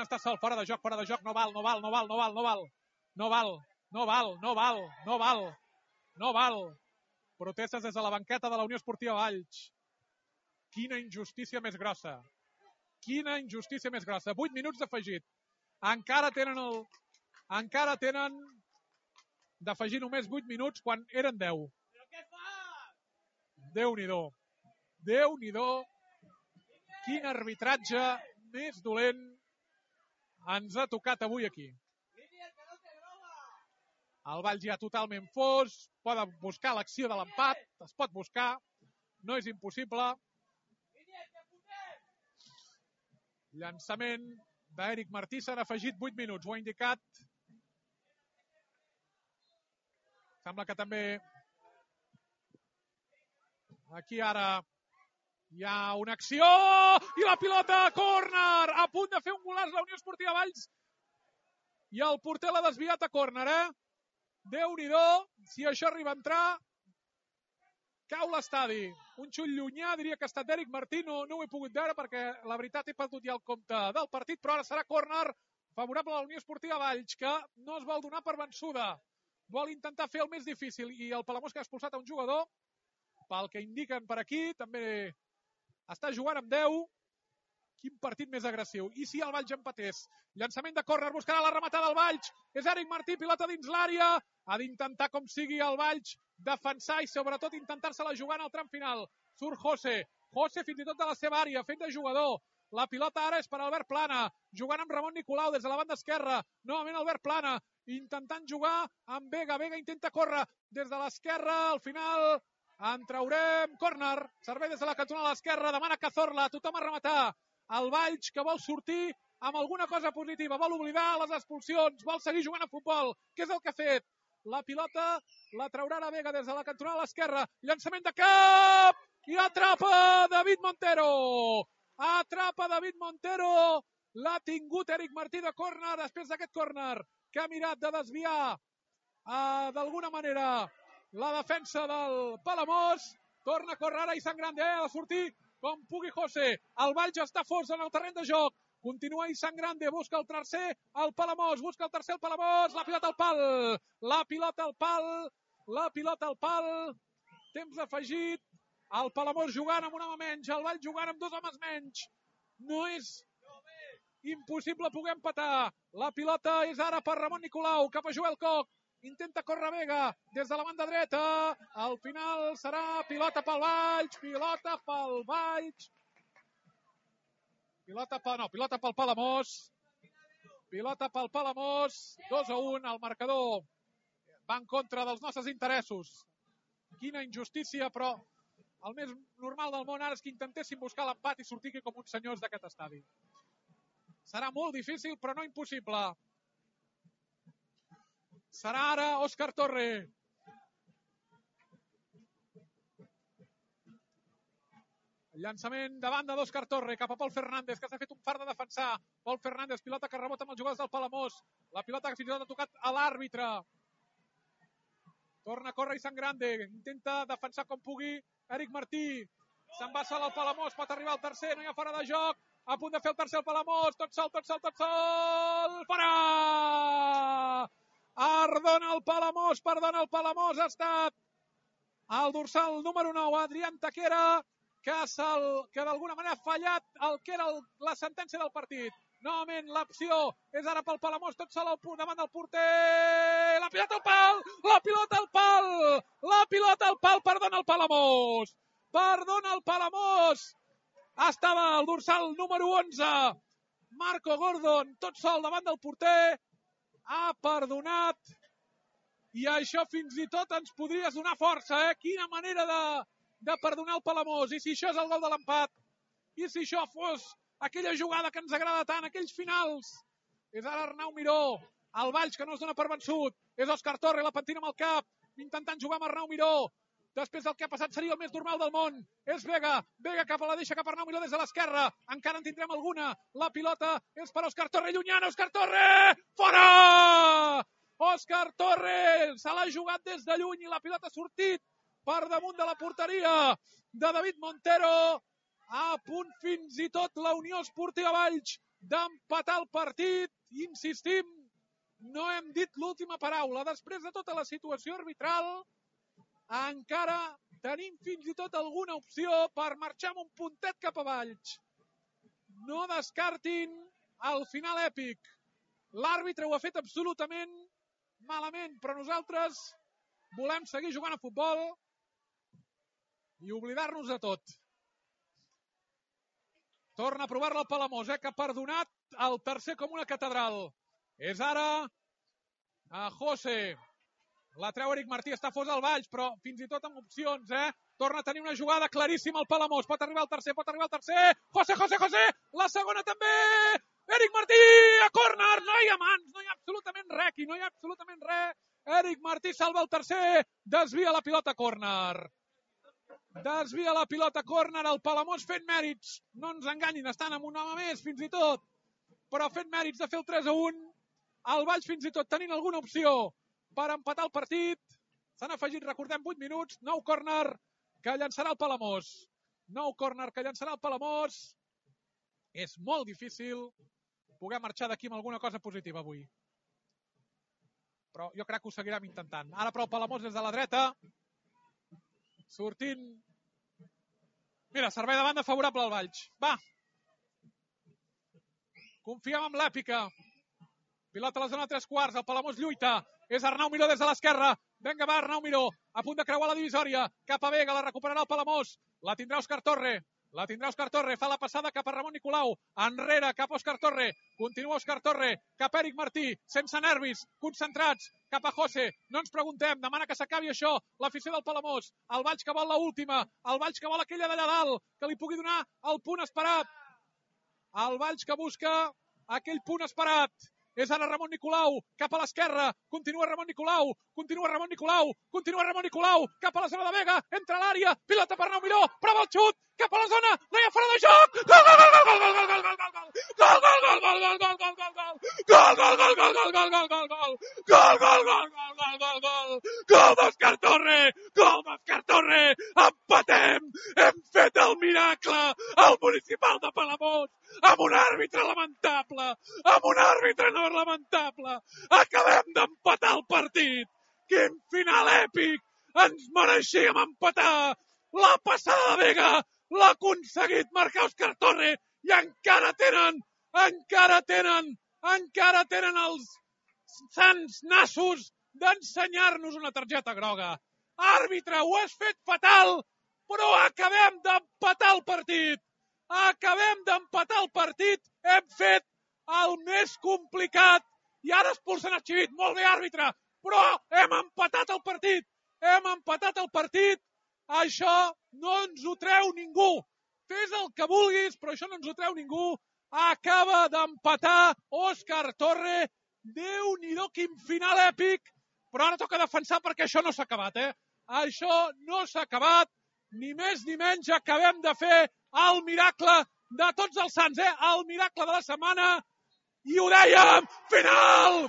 està sol, fora de joc, no val. No val, no val, no val, no val. Protestes des de la banqueta de la Unió Esportiva Valls. Quina injustícia més grossa. Quina injustícia més grossa. 8 minuts d'afegit. Encara tenen d'afegir només 8 minuts quan eren 10. Però què fa? Déu-n'hi-do. Déu-n'hi-do. Quin arbitratge més dolent ens ha tocat avui aquí. El Valls ja totalment fos, poden buscar l'acció de l'empat, es pot buscar, no és impossible. Llançament d'Eric Martí, s'han afegit 8 minuts, ho ha indicat. Sembla que també aquí ara hi ha una acció i la pilota, córner, a punt de fer un golaç la Unió Esportiva Valls i el porter l'ha desviat a córner, Déu-n'hi-do, si això arriba a entrar, cau l'estadi. Un xut llunyà, diria que ha estat d'Eric Martí, no ho he pogut veure perquè la veritat he perdut ja el compte del partit, però ara serà córner favorable a la Unió Esportiva Valls, que no es vol donar per vençuda. Vol intentar fer el més difícil i el Palamós que ha expulsat a un jugador, pel que indiquen per aquí, també està jugant amb 10. Quin partit més agressiu. I si el Valls empatés? Llançament de córner, buscarà la rematada del Valls. És Eric Martí, pilota dins l'àrea. Ha d'intentar, com sigui, el Valls defensar i sobretot intentar-se-la jugar en el tram final. Surt José. José fins i tot de la seva àrea, fent de jugador. La pilota ara és per Albert Plana, jugant amb Ramon Nicolau des de la banda esquerra. Novament Albert Plana, intentant jugar amb Vega. Vega intenta córrer des de l'esquerra. Al final en traurem córner. Servei des de la cantonada a l'esquerra. Demana Cazorla. Tothom a rematar. El Valls que vol sortir amb alguna cosa positiva, vol oblidar les expulsions, vol seguir jugant a futbol. Què és el que ha fet? La pilota la traurà a Vega des de la cantonada a l'esquerra. Llançament de cap i atrapa David Montero. Atrapa David Montero. L'ha tingut Eric Martí de córner després d'aquest córner que ha mirat de desviar d'alguna manera la defensa del Palamós. Torna a córrer ara i Sangrande, ha de sortir com pugui José. El Valls està fos en el terreny de joc. Continua i Sangrande, busca el tercer el Palamós, busca el tercer el Palamós. La pilota al pal. La pilota al pal. La pilota al pal. Temps afegit. El Palamós jugant amb un home menys. El Valls jugant amb 2 homes menys. No és impossible poder empatar. La pilota és ara per Ramon Nicolau, cap a Joel Coc. Intenta córrer Vega des de la banda dreta. Al final serà pilota pel Valls. Pilota pel Valls. Pilota pel Palamós. Pilota pel Palamós. 2-1. El marcador va en contra dels nostres interessos. Quina injustícia, però el més normal del món ara és que intentessin buscar l'empat i sortir aquí com uns senyors d'aquest estadi. Serà molt difícil, però no impossible. Serà ara Òscar Torre. El llançament de banda d'Òscar Torre cap a Pol Fernández, que s'ha fet un fart de defensar. Pol Fernández, pilota que rebota amb els jugadors del Palamós. La pilota que fins i tot ha tocat a l'àrbitre. Torna a córrer i Sangrande. Intenta defensar com pugui Eric Martí. Se'n va sol al Palamós, pot arribar al tercer, no hi ha fora de joc. A punt de fer el tercer al Palamós. Tot sol. Fora! Perdona el Palamós. Ha estat el dorsal número 9, Adrián Taquera, que d'alguna manera ha fallat el que era la sentència del partit. Novament l'opció és ara pel Palamós, tot sol davant del porter. La pilota al pal! La pilota al pal! Perdona el Palamós! Estava el dorsal número 11, Marco Gordon, tot sol davant del porter. Ha perdonat. I això fins i tot ens podries donar força, Quina manera de perdonar el Palamós. I si això és el gol de l'empat, i si això fos aquella jugada que ens agrada tant, aquells finals. És ara Arnau Miró, el Valls que no es dona per vençut. És Òscar Torre, la pentina amb el cap, intentant jugar amb Arnau Miró. Després del que ha passat seria el més normal del món. És Vega cap a la deixa cap a Arnau Miró des de l'esquerra. Encara en tindrem alguna. La pilota és per Òscar Torre, llunyana. Òscar Torre! Fora! Òscar Torre! Se l'ha jugat des de lluny i la pilota ha sortit per damunt de la porteria de David Montero. A punt fins i tot la Unió Esportiva Valls d'empatar el partit. Insistim, no hem dit l'última paraula. Després de tota la situació arbitral, encara tenim fins i tot alguna opció per marxar amb un puntet cap a Valls. No descartin el final èpic. L'àrbitre ho ha fet absolutament malament, però nosaltres volem seguir jugant a futbol i oblidar-nos de tot. Torna a provar-la el Palamós, que ha perdonat el tercer com una catedral. És ara a José. La treu Eric Martí, està fos al Valls, però fins i tot amb opcions, Torna a tenir una jugada claríssima el Palamós. Pot arribar al tercer. José! La segona també! Eric Martí a córner! No hi ha mans, no hi ha absolutament res aquí, no hi ha absolutament res. Eric Martí salva el tercer, desvia la pilota a córner. Desvia la pilota a córner, el Palamós fent mèrits. No ens enganyin, estan amb un home més, fins i tot. Però fent mèrits de fer el 3-1. El Valls fins i tot tenint alguna opció per empatar el partit. S'han afegit, recordem, 8 minuts. Nou córner que llançarà el Palamós. És molt difícil poder marxar d'aquí amb alguna cosa positiva avui. Però jo crec que ho seguirem intentant. Ara però el Palamós des de la dreta. Sortint. Mira, servei de banda favorable al Valls. Va. Confiem en l'èpica. Pilota a la zona de 3/4. El Palamós lluita. És Arnau Miró des de l'esquerra. Vinga, va, Arnau Miró. A punt de creuar la divisòria. Cap a Vega, la recuperarà el Palamós. La tindrà Òscar Torre. Fa la passada cap a Ramon Nicolau. Enrere, cap a Òscar Torre. Continua Òscar Torre. Cap a Eric Martí. Sense nervis. Concentrats. Cap a José. No ens preguntem. Demana que s'acabi això. L'afició del Palamós. El Valls que vol l'última. El Valls que vol aquella d'allà dalt. Que li pugui donar el punt esperat. El Valls que busca aquell punt esperat. És ara Ramon Nicolau, cap a l'esquerra, continua Ramon Nicolau, cap a la zona de Vega, entra a l'àrea, pilota per Arnau Miró, prova el xut, cap a la zona, no hi ha fora de joc, gol d'Òscar Torre, empatem, hem fet el miracle, el municipal de Palamós, amb un àrbitre lamentable, acabem d'empatar el partit, quin final èpic, ens mereixíem empatar, la passada de Vega, l'ha aconseguit marcar Òscar Torre, i encara tenen els sants nassos d'ensenyar-nos una targeta groga. Àrbitre, ho has fet fatal, però acabem d'empatar el partit. Hem fet el més complicat i ara expulsen el Xivit. Molt bé, àrbitre, però hem empatat el partit. Això no ens ho treu ningú. Fes el que vulguis, però això no ens ho treu ningú. Acaba d'empatar Òscar Torre. Déu-n'hi-do, quin final èpic. Però ara toca defensar perquè això no s'ha acabat, Això no s'ha acabat. Ni més ni menys, acabem de fer el miracle de tots els sants, el miracle de la setmana. I ho dèiem, final.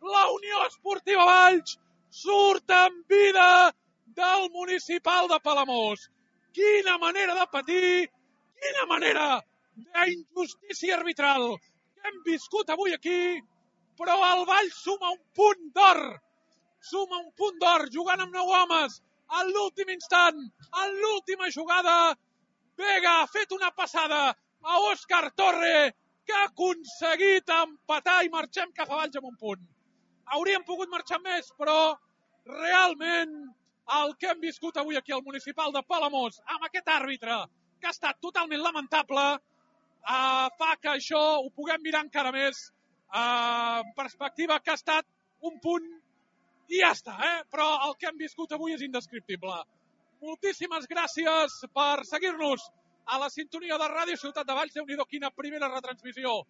La Unió Esportiva Valls surt amb vida del municipal de Palamós. Quina manera de patir, quina manera d'injustícia arbitral que hem viscut avui aquí, però el Valls suma un punt d'or, jugant amb 9 homes, a l'últim instant, en l'última jugada. Vega ha fet una passada a Òscar Torre, que ha aconseguit empatar i marxem cap a Valls amb un punt. Hauríem pogut marxar més, però realment el que hem viscut avui aquí al municipal de Palamós, amb aquest àrbitre, que ha estat totalment lamentable, fa que això ho puguem mirar encara més en perspectiva, que ha estat un punt i ja està, però el que hem viscut avui és indescriptible. Moltíssimes gràcies per seguir-nos a la sintonia de Ràdio Ciutat de Valls. Déu-n'hi-do, quina primera retransmissió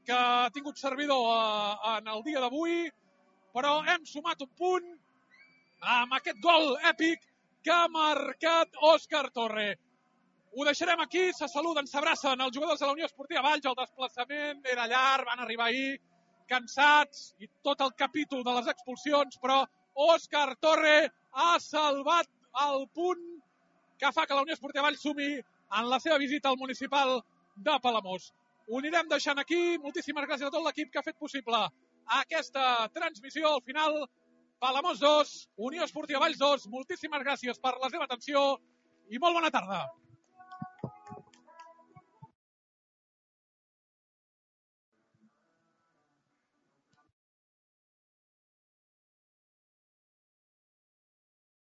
que ha tingut servidor en el dia d'avui, però hem sumat un punt amb aquest gol èpic que ha marcat Òscar Torre. Ho deixarem aquí, se saluden, s'abracen els jugadors de la Unió Esportiva Valls. El desplaçament era llarg, van arribar ahir cansats i tot el capítol de les expulsions, però Òscar Torre ha salvat el punt que fa que la Unió Esportiva Valls sumi en la seva visita al municipal de Palamós. ho anirem deixant aquí. Moltíssimes gràcies a tot l'equip que ha fet possible aquesta transmissió. Al final, Palamós 2, Unió Esportiva Valls 2. Moltíssimes gràcies per la seva atenció i molt bona tarda.